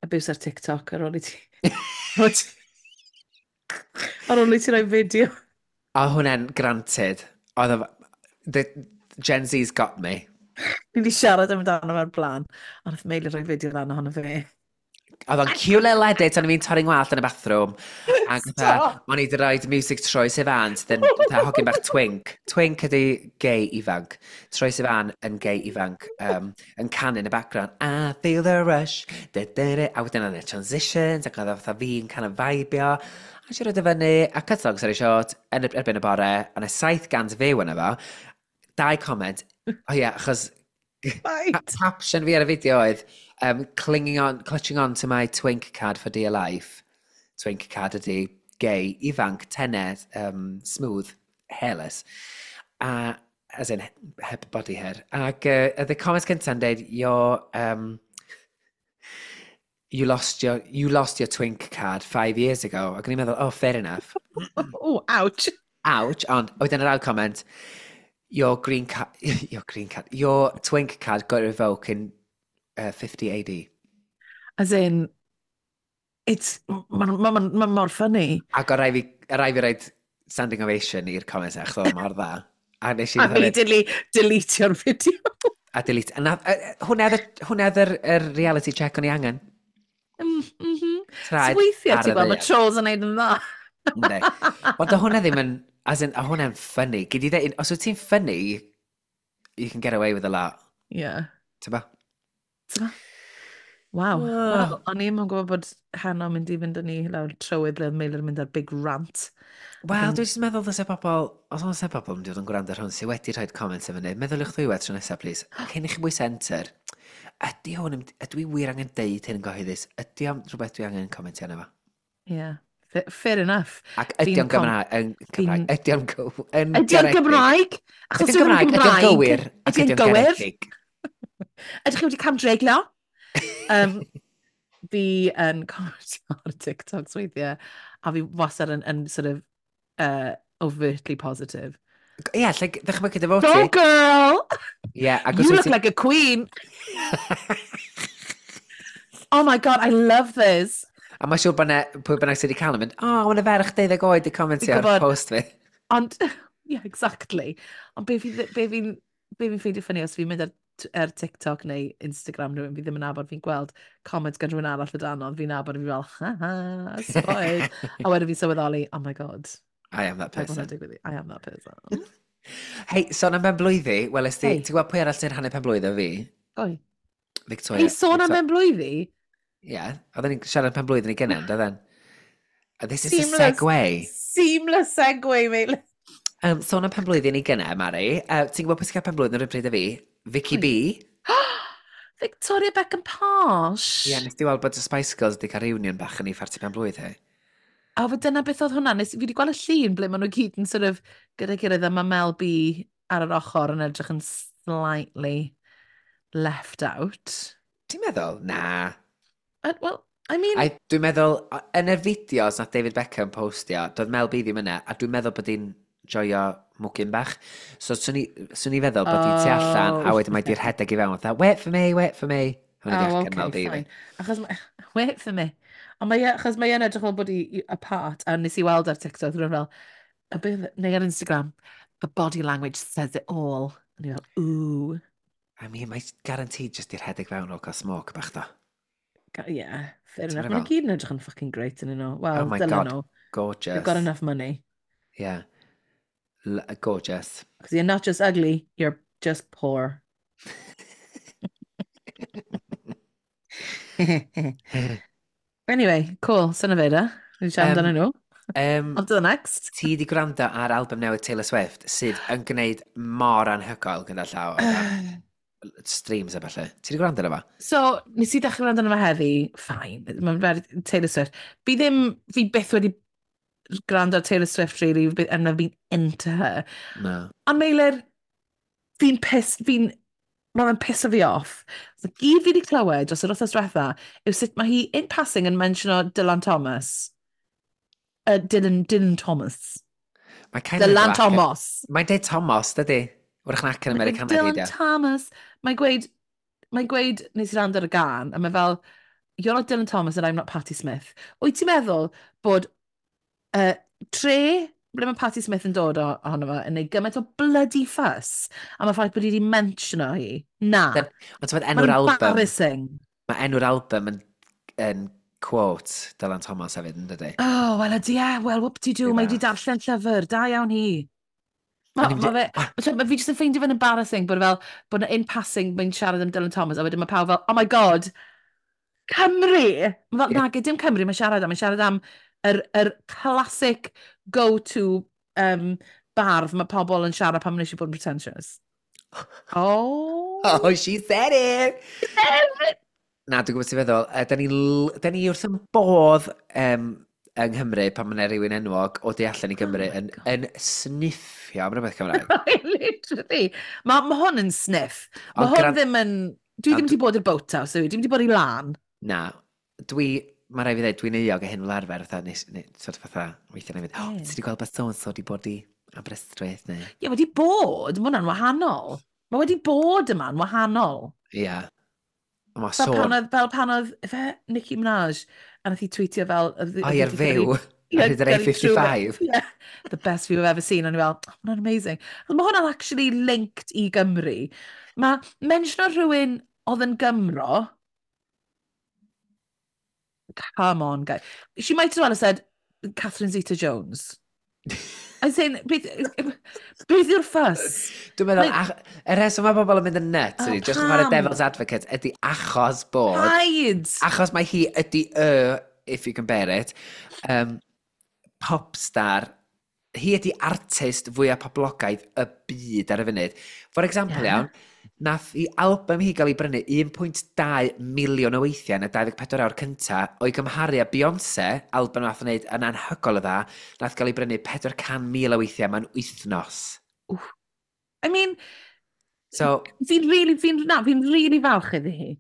S1: abuse ar TikTok ar ôl i ti roi fideo.
S2: A hwnna'n granted. Oedd o, the Gen Z's got me.
S1: Ni wedi siarad amdano fe'r blaen, ond nath Meilir roi fideo lan ohono fe.
S2: Oedd o'n cute little edit, o'n i'n torri ngwallt yn y bathroom. Ac fatha,
S1: Stop!
S2: o'n i wedi rhoi music Troye Sivan, sydd yn fatha hogyn bach twink. Twink ydi gay ifanc. Troye Sivan yn gay ifanc, yn canu yn y background. "I feel the rush." Da, da, da. A wedyn o'n y transitions, ac oedd o fatha fi'n kind of vibio. A eisiau rhoi fyny, a cut long story short, yn erbyn y bore, o'n y 700 view yna fo. Dau comment. O ie, achos caption fi ar y fideo oedd "clinging on, clutching on to my twink card for dear life". Twink card ydi gay, ifanc, tene, smooth, hairless. A, as in, heb body hair. Ac the comments cynta'n deud, "You lost your twink card 5 years ago." Ac o'n i'n meddwl, "Oh, fair enough."
S1: Oh, ouch.
S2: Ouch, ond wedyn yr ail comment, "Your green card, your twink card got revoked in 50 AD."
S1: As in, it's, mae'n ma mor funny.
S2: Ac o rai fi roid standing ovation i'r comments achos oedd o mor dda. A nes i
S1: A
S2: fatha mynd,
S1: immediately deletio'r fideo.
S2: A delete. A na, hwnna oedd yr reality check o'n i angen.
S1: So
S2: Traed
S1: weithiau,
S2: ar
S1: ti'n
S2: y
S1: gweld, mae
S2: ddaear.
S1: trolls yn neud yn dda.
S2: Yndi. Ond o hwnna ddim yn, as in, o hwnna'n funny. Gyd i ddeud, os wyt ti'n funny, you can get away with a lot.
S1: Yeah.
S2: Ti'n ba?
S1: Ti'n Waw.
S2: Oh.
S1: Wel, o'n i'm yn gwybod bod heno mynd i fynd â ni lawr trywydd ble oedd Meilir yn mynd ar big rant.
S2: Wel,
S1: Ac
S2: dwi'n jyst meddwl ddylse pobl, os oes e pobl yn dod yn gwrando ar hwn sydd wedi rhoi comments efo ni, meddyliwch ddwywaith tro nesaf, please. Cyn i chi bwyso enter, ydy hwn, ydw i wir angen deud hyn yn gyhoeddus? Ydy o'n rhywbeth dwi angen comentio arno fo?
S1: Yeah. Fair enough.
S2: Ac ydy
S1: Fi'n
S2: o'n Gymraeg, yn Cymraeg, ydy o'n yn
S1: Ydy o'n
S2: garedig?
S1: Gymraeg? Achos
S2: Ydy o'n
S1: dwi ddim yn
S2: Gymraeg, ydy o'n gywir, ac
S1: Ydy o'n
S2: ydy o'n
S1: gywir?
S2: garedig?
S1: Ydych chi wedi camdreiglo? Fi yn comentio ar TikToks weithiau, a fi wastad yn sort of overtly positive.
S2: Ie, lle ddychmygu dy fod
S1: Go
S2: ti.
S1: girl!
S2: Ie, ac os
S1: You
S2: wyt
S1: look
S2: ti
S1: like a queen! Oh my God, I love this!
S2: A mae'n siŵr bod 'na, pwy bynnag sydd wedi cael yn mynd, "O, oh, mae'n ferch 12 oed i comentio
S1: Fi'n
S2: ar
S1: gwbod.
S2: post fi."
S1: Ond, yeah, exactly. Ond be fi'n ffeindio funny os fi'n mynd ar TikTok neu Instagram rhywun fi ddim yn nabod, fi'n gweld comments gan rhywun arall o dan, ond fi'n nabod a fi fel, "Ha ha, spotted." A wedyn fi'n sylweddoli, "Oh my God,
S2: I am that
S1: paid bod
S2: person.
S1: hwnna'n digwydd. I am that person."
S2: Hei, sôn am ben blwyddi, wel, ti,
S1: Hey.
S2: ti'n gwybod pwy arall sy'n rhannu pen blwydd o fi?
S1: Oi.
S2: Victoria.
S1: Hei, sôn am ben blwyddi?
S2: Ie, yeah, oedden ni'n siarad am pen blwydd yn ei gynnen, doedden? This is a
S1: Seamless.
S2: segue.
S1: Seamless segue, mate.
S2: Sôn am pen blwydd yn ei gynnen, Mari. Ti'n gwybod pwy sy'n cael pen blwydd yn yr un pryd â fi? Vicky
S1: Pwy?
S2: B.
S1: Victoria Beckham Posh.
S2: Ie, yeah, nes di weld bod y Spice Girls wedi cael reunion bach yn ei pharti pen blwydd hi.
S1: A fe dyna beth oedd hwnna. Nes, fi wedi gweld y llun ble maen nhw gyd yn sort of gyda'i gilydd a mae Mel B ar yr ochr yn edrych yn slightly left out.
S2: Ti'n meddwl? Na.
S1: Well, I mean,
S2: I, dwi'n meddwl, yn y fideos nath David Beckham postio, doedd Mel B ddim yna, a dwi'n meddwl bod hi'n Joio mwgyn bach. So, swn i feddwl bod hi tu allan, a wedyn mae di rhedeg i fewn, fatha, "Wait for me, wait for me." Hwna di
S1: Oh,
S2: acen
S1: okay,
S2: Mel B fi.
S1: fine. Achos, wait for me. Ond mae, achos mae e'n edrych fel bod i apart, a nes i weld ar TikTok, rhywun fel, a beth, neu ar Instagram, "The body language says it all." A ni fel, "Ooh."
S2: I mean, mae guaranteed just i rhedeg fewn o cael smoke bach do.
S1: Yeah, fair
S2: Ti'n
S1: enough.
S2: meddwl
S1: Maen nhw
S2: fel?
S1: gyd yn edrych yn fucking great yn nhw.
S2: Oh
S1: Well,
S2: my
S1: dylen
S2: God,
S1: nhw. They've got
S2: gorgeous.
S1: enough money.
S2: Yeah, gorgeous.
S1: Because you're not just ugly, you're just poor. Anyway, cool. Syna fe da. Ni'n siarad
S2: Um,
S1: amdano nhw. On to the next.
S2: Ti di gwrando ar album newydd Taylor Swift sydd yn gwneud mor anhygoel gyda llaw o ran streams a falle. Ti di gwrando arno fo?
S1: So, nes i ddechrau gwrando arno fe heddi, fine, mae'n very Taylor Swift. Fi ddim, fi byth wedi gwrando ar Taylor Swift, really, and I've been into her.
S2: No.
S1: Ond Meilir, fi'n piss, fi'n, mae fe'n pisso fi off. So, gyd fi wedi clywed dros yr wythnos diwetha yw sut mae hi, in passing, yn mentiono Dylan Thomas. Dylan Thomas.
S2: Mae kind of
S1: Dylan Thomas.
S2: Mae'n deud Thomas, dydy? Wrach na acen
S1: Mae'n gweud
S2: Americanaidd i
S1: "Dylan
S2: di.
S1: Thomas." Mae'n gweud, nes i rand ar y gan, a mae fel, "You're not Dylan Thomas and I'm not Patti Smith." Wyt ti'n meddwl bod tre ble mae Patti Smith yn dod ohono fo yn neud gymaint o bloody fuss am y ffaith bod hi wedi mentiono hi? Na.
S2: Ond ti'n
S1: Mae'n
S2: enw'r album,
S1: embarrassing.
S2: mae enw'r album yn quote Dylan Thomas hefyd, yn dydy?
S1: Oh, wel ydy e, well, whoop-de-doo,
S2: Rhyw
S1: mae wedi
S2: fath.
S1: darllen llyfr, da iawn hi.
S2: O'n
S1: Ma,
S2: i'n
S1: ma fe,
S2: ah,
S1: ma fi jyst yn ffeindio fe'n embarrassing bod fel, bod in passing mae'n siarad am Dylan Thomas, a wedyn mae pawb fel, "Oh my God, Cymru!" Ma fel, nage, dim Cymru, mae'n siarad am, mae'n siarad am yr classic go-to bardd mae pobl yn siarad pan maen nhw eisiau bod yn pretentious. Oh!
S2: Oh, she said it! Na, dwi'n gwybod ti'n feddwl. Da ni wrth yn bodd yng Nghymru pan mae yna rhywun enwog o du allan i
S1: Oh
S2: Gymru
S1: my
S2: yn,
S1: God.
S2: yn sniffio am rhywbeth Cymraeg.
S1: Literally. Mae hwn yn sniff. Mae
S2: Ond
S1: hwn ddim yn. Dwi ddim
S2: ond
S1: wedi bod i'r boathouse, dwi ddim wedi bod i lan.
S2: Na, mae rhaid fi ddweud, dwi'n euog o hyn fel arfer, fatha, nes, ne, sort of fatha, weithiau na i fynd, "Oh, ti wedi gweld bod so-and-so wedi bod i Aberystwyth," neu?
S1: Ie, wedi bod, mae hwnna'n wahanol. Mae wedi bod yma'n wahanol.
S2: Ie. Yeah. Mae
S1: Fel pan
S2: sôn,
S1: oedd, fel pan oedd, efe, Nicki Minaj, a nath hi tweetio fel
S2: o ie'r
S1: oedd hi 'di
S2: fyw,
S1: gyrru, ie,
S2: ar hyd yr
S1: gyrru trwy fe.
S2: A55.
S1: Yeah, "The best view I've ever seen." O'n i fel, "Oh, hwnna'n amazing." Ond mae hwnna'n actually linked i Gymru. Mae mentiono rhywun oedd yn Gymro, come on, guys. She might as well have said Catherine Zeta-Jones. I'm saying, beth yw'r fuss?
S2: Dwi'n meddwl,
S1: Like,
S2: y rheswm mae pobl yn mynd yn nuts,
S1: oh,
S2: ydy, just yn chwarae
S1: pam?
S2: devil's advocate, ydy achos bod,
S1: Paid!
S2: achos mae hi ydy y, if you can bear it, popstar, hi ydy artist fwyaf poblogaidd y byd ar y funud. For example, iawn, nath i album hi gael ei brynu 1.2 miliwn o weithiau yn y 24 awr cynta, o'i gymharu â Beyoncé, album nath wneud yn anhygoel o dda, nath gael ei brynu 400,000 o weithiau mewn wythnos.
S1: Oof. I mean,
S2: So,
S1: fi'n really, fi'n, na, fi'n really falch iddi hi.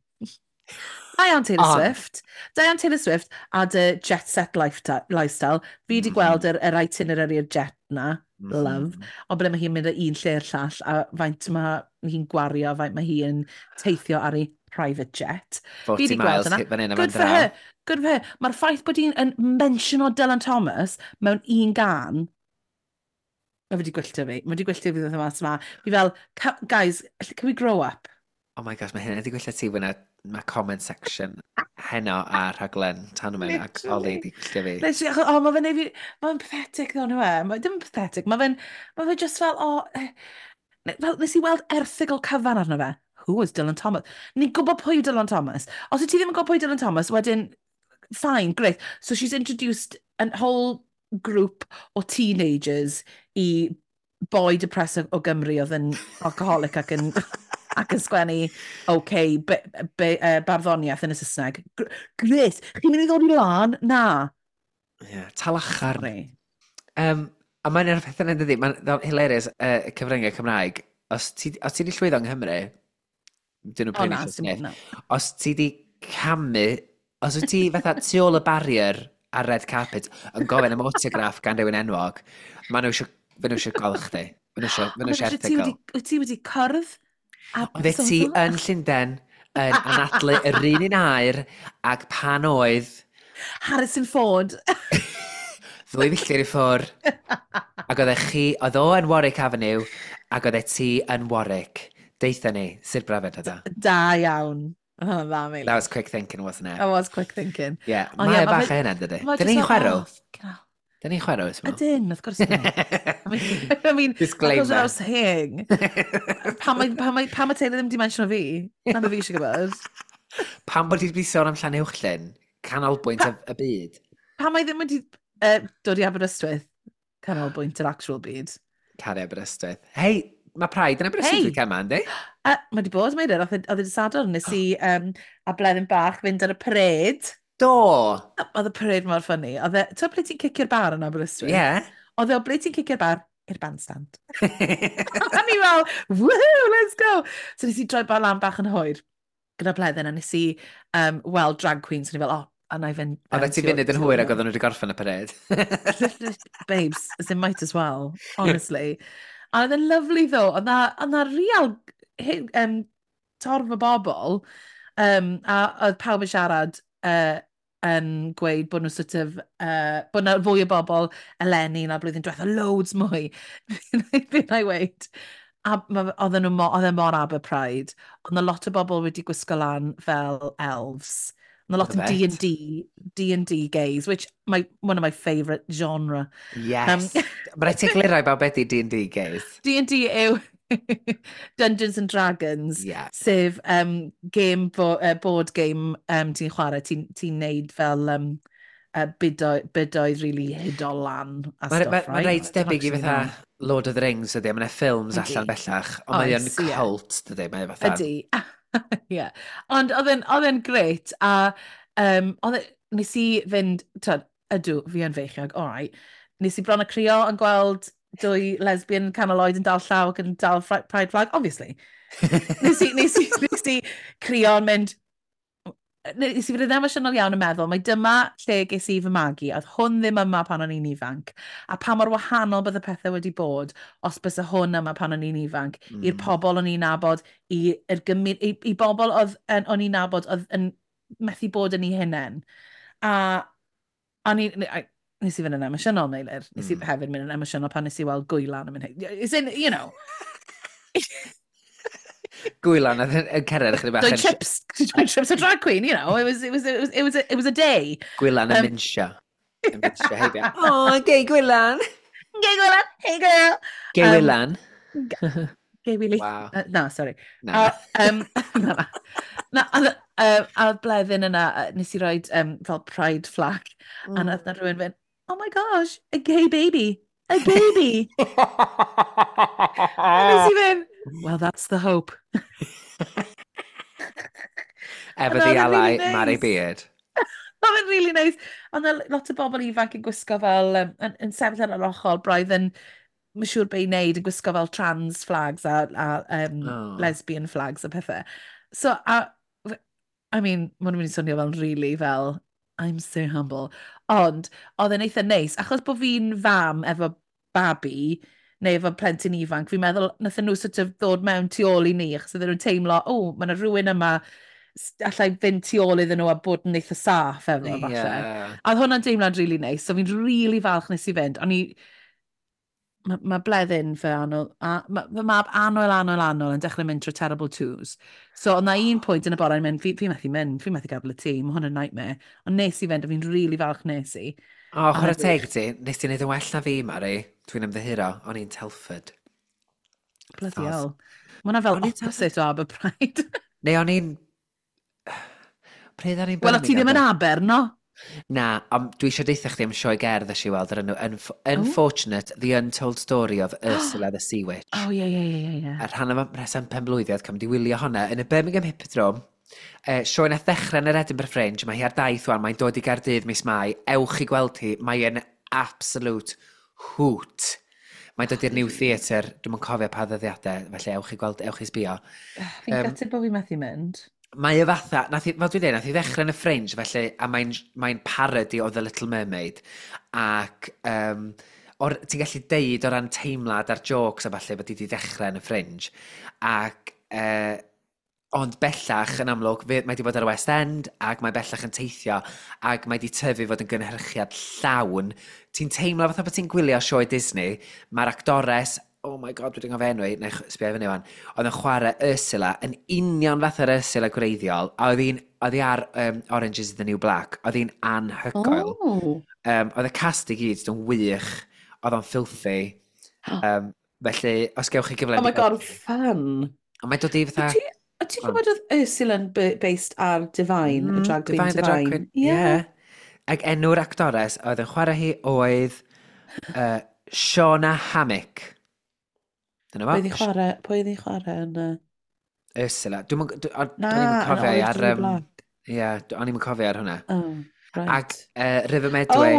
S1: Da iawn Taylor
S2: on.
S1: Swift. Da iawn Taylor Swift a dy jet set lifestyle. Fi wedi gweld yr itinerary o'r jet na. Love. Ond ble mae hi'n mynd o un lle i'r llall a faint mae hi'n gwario, faint mae hi'n teithio ar ei private jet. Fi
S2: 40
S1: wedi gweld
S2: miles
S1: yna.
S2: hit fan hyn a fan
S1: Good for
S2: draw.
S1: her. Good for her. Mae'r ffaith bod hi'n yn mentiono Dylan Thomas mewn un gan, mae wedi gwylltio fi. Mae wedi gwylltio fi ddod yma. Fi fel, "Guys, can we grow up?"
S2: Oh my gosh, mae hynna wedi gwylltio ti fyna, mae comment section heno ar rhaglen Tanwen ac Ollie
S1: Literally.
S2: wedi gwylltio fi.
S1: Literally, achos, oh, mae fe'n neud fi, mae'n pathetic ddo, nhw e. Mae ddim yn pathetic, mae fe just fel, oh, fel, nes i weld erthygl cyfan arno fe. "Who is Dylan Thomas?" Ni'n gwybod pwy yw Dylan Thomas. Os wyt ti ddim yn gwybod pwy yw Dylan Thomas, wedyn, fine, great. So she's introduced a whole group o teenagers i boi depressed o Gymru oedd yn alcoholic ac yn sgwennu, okay, barddoniaeth yn y Saesneg. Great, chi'n mynd i ddod i lan? Na.
S2: Yeah, talacharn.
S1: Sorry.
S2: A mae'n un o'r pethau yna, dydi, mae'n hilarious, cyfryngau Cymraeg. Os ti di llwyddo yng Nghymru, dyn nhw
S1: O
S2: prin
S1: na,
S2: eisiau
S1: sim,
S2: sniff.
S1: na.
S2: Os ti di camu, os wyt ti fatha tu ôl y barrier ar red carpet yn gofyn am autograph gan rhywun enwog, maen nhw eisiau Fe nhw eisiau gweld chdi. Fe nhw eisiau, fe
S1: Ond
S2: nhw
S1: mae
S2: eisiau
S1: eisiau ti
S2: erthygl.
S1: wedi, wyt ti wedi cwrdd a
S2: Oeddet ti
S1: so-so?
S2: yn Llundain yn anadlu yr un air ac pan oedd
S1: Harrison Ford.
S2: 2 filltir i ffwr ac oeddech chi, oedd o yn Warwick Avenue ac oeddet ti yn Warwick. Deutha ni, sut brofiad oedd o?
S1: Da iawn. Oedd hwnna'n dda,
S2: That
S1: Meilir.
S2: was quick thinking, wasn't it?
S1: That was quick thinking.
S2: Yeah,
S1: Ond ie,
S2: mae
S1: ma'
S2: bach
S1: fe-
S2: o hynna, dydy.
S1: Ma'
S2: Dyn
S1: jyst
S2: ni'n
S1: fel,
S2: chwerw?
S1: oh, fucking hell.
S2: Dyn ni'n chwerw, ti'n meddwl?
S1: Ydyn, wrth gwrs ydyn. I mean, that goes
S2: Disclaimer.
S1: without saying. Pam mae Taylor ddim di mention o fi? Na be fi eisiau gwybod.
S2: Pam bod ti wedi sôn am Llanuwchllyn, canolbwynt y byd?
S1: Pam mae ddim wedi dod i Aberystwyth? Canolbwynt yr actual byd.
S2: Caru Aberystwyth. Hei, mae Pride yn Aberystwyth
S1: Hey!
S2: weekend ma, yndi?
S1: Mae wedi bod, Meilir, oedd e dydd Sadwrn, nes i a Bleddyn bach fynd ar y parade.
S2: Do!
S1: Oedd y parade mor funny. Oedd e, ti'n ble ti'n cicio'r bar yn Aberystwyth?
S2: Yeah.
S1: Oedd e o ble ti'n cicio'r bar? I'r bandstand. A ni fel, woohoo, let's go! So nes i droi bar lan bach yn hwyr gyda Bleddyn a nes i weld drag queens. So ni fel, oh, a na i fynd
S2: Oedd ti funud yn hwyr ac oedden nhw wedi gorffen y parade.
S1: Babes, as in might as well, honestly. A oedd e'n lovely though. Oedd na real torf o bobl. A oedd pawb yn siarad yn gweud bod nhw sort of, bod na fwy o bobl eleni na blwyddyn diwetha, loads mwy. Fe na i weud. A oedd e mor Aber Pride. Oedd na lot o bobl wedi gwisgo lan fel elves. Oedd na lot o
S2: Love it.
S1: D&D, D&D gays, which one of my favourite genre.
S2: Yes. Mae rhaid ti egluro i bawb beth i D&D gays.
S1: D&D yw Dungeons and Dragons, sef board game ti'n chwarae, ti'n ti neud fel bydoedd really hudol lan a
S2: Mae'n
S1: stuff,
S2: ma, ma
S1: right?
S2: reit debyg i
S1: Actually
S2: fatha
S1: know.
S2: Lord of the Rings ydy, mae'n ffilms allan bellach, ond mae o'n
S1: Oes, ie.
S2: cult, dydy, mae fatha.
S1: Ydy. Ie. Ond oedd e'n grêt, a nes i fynd, twyd, ydw, fi yn feichiog, all right. Nes i bron a crio yn gweld dwy lesbian canol oed yn dal llaw ac yn dal pride flag, obviously. Nes i crio yn mynd, nes i fod yn emosiynol iawn yn meddwl, mai dyma lle ges i fy magu, oedd hwn ddim yma pan o'n i'n ifanc, a pa mor wahanol bydd y pethau wedi bod os bysa hwn yma pan o'n i'n ifanc, i'r pobl o'n i'n nabod, i bobl oedd o'n i'n nabod oedd yn methu bod yn eu hunain. A o'n i, nes i fynd yn emosiynol, Meilir. Nes i hefyd mynd yn emosiynol pan nes i weld Gwylan yn mynd. It's in, you know,
S2: Gwylan oedd yn cerdded ychydig bach
S1: dwy chips, dwy chips a drag queen, it was a day.
S2: Gwylan yn minsio. Yn minsio heibio. Oh, gay Gwylan!
S1: Gay Gwylan, hey girl!
S2: Gay Wylan.
S1: Gay Willy.
S2: Wow.
S1: No, sorry.
S2: Na.
S1: A, na, na. Na, a oedd Bleddyn yna, nes i roed fel pride flag, a nath na rhywun fynd, "Oh my gosh, a gay baby, a baby." A nes i fynd, "Well, that's the hope."
S2: Efo
S1: Ond
S2: the
S1: oedd e'n
S2: ally,
S1: really
S2: Mary
S1: nice.
S2: Beard.
S1: Oedd e'n really nice. Ond na lot o bobl ifanc yn gwisgo fel, yn sefyll ar yr ochr, braidd yn, mae'n siŵr be i wneud, yn gwisgo fel trans flags a
S2: Oh.
S1: lesbian flags a pethau. So, I mean, maen nhw'n mynd i swnio fel really fel, "I'm so humble." Ond, oedd e'n eitha neis, achos bod fi'n fam efo babi, neu efo plentyn ifanc, fi'n meddwl nathon nhw sort of ddod mewn tu ôl i ni, achos oedden nhw'n teimlo, "O, mae yna rhywun yma allai fynd tu ôl iddyn nhw a bod yn eitha saff efo," falle. A oedd hwnna'n deimlad really nice, so fi'n really falch nes i fynd. O'n i... Mae ma Bleddyn fy annwyl, a, ma, fy mab annwyl, annwyl, annwyl yn dechrau mynd trwy terrible twos. So oedd na un pwynt yn y bore yn mynd, fi methu mynd, fi methu gadael y tŷ, mae hwn yn nightmare." Ond nes i fynd, a fi'n really falch nes i.
S2: O, chwarae
S1: Ond
S2: teg ti, nes ti wneud yn well na fi, Mari. Dwi'n ymddiheuro, o'n i'n Telford.
S1: Bloody
S2: Thos.
S1: hell. Mae hwnna fel
S2: O'n i'n
S1: opposite o Aber Pride.
S2: Neu o'n i'n... Pryd o'n i'n
S1: Wel, o ti ddim yn
S2: Birmingham?
S1: Aber, no?
S2: Na, ond dwi eisiau deutha chdi am sioe gerdd es i weld ar enw Unfortunate, The Untold Story of Ursula the Sea Witch.
S1: Oh, ie.
S2: A rhan o reswm penblwyddiad cam di wylio hwnna yn y Birmingham Hippodrome. Sioe nath ddechrau yn yr Edinburgh Fringe, mae hi ar daith wan, mae'n dod i Gaerdydd mis Mai. Ewch i gweld hi, mae'n absolute hoot. Mae'n dod i'r New Theatre, dwi'm yn cofio pa ddyddiadau, felly ewch i gweld, ewch i sbio.
S1: Fi'n gutted bod fi methu mynd.
S2: Mae y fatha, nath i, fel dwi'n dweud, nath i ddechrau yn y Fringe, felly, a mae'n mae parody o The Little Mermaid. Ac Or, ti'n gallu deud o ran teimlad a'r jokes a falle bod hi wedi dechrau yn y Fringe. Ac, ond bellach, yn amlwg, mae wedi bod ar y West End ac mae bellach yn teithio ac mae wedi tyfu fod yn gynhyrchiad llawn. Ti'n teimlo fatha bod ti'n gwylio sioe Disney, mae'r actores, oh my God, dwi'n gofio enw hi, neu sbio fyny wan, oedd yn chwarae Ursula yn union fath yr Ursula gwreiddiol, a oedd hi ar Orange is the New Black, oedd hi'n anhygoel.
S1: Oh.
S2: Oedd y cast i gyd yn wych, oedd o'n filthy. Felly, os gewch chi gyfle.
S1: Oh my God, fun.
S2: Ond mae'n dod i fatha.
S1: A ti'n gwybod oedd Ursula yn based ar Divine, y drag queen
S2: Divine?
S1: Divine?
S2: The drag queen.
S1: Yeah.
S2: Yeah. Ac enw'r actores oedd yn chwarae hi oedd Shaughna Hammick. Dyna fo.
S1: Pwy oedd hi'n chwarae yn
S2: Ursula. Dwi'n
S1: Na,
S2: o'n i'm yn
S1: yn
S2: cofio
S1: Orange
S2: ar
S1: is the New Black.
S2: Ie, o'n i'm yn cofio ar hwnna.
S1: Oh, right.
S2: Ac River
S1: Oh,
S2: Medway.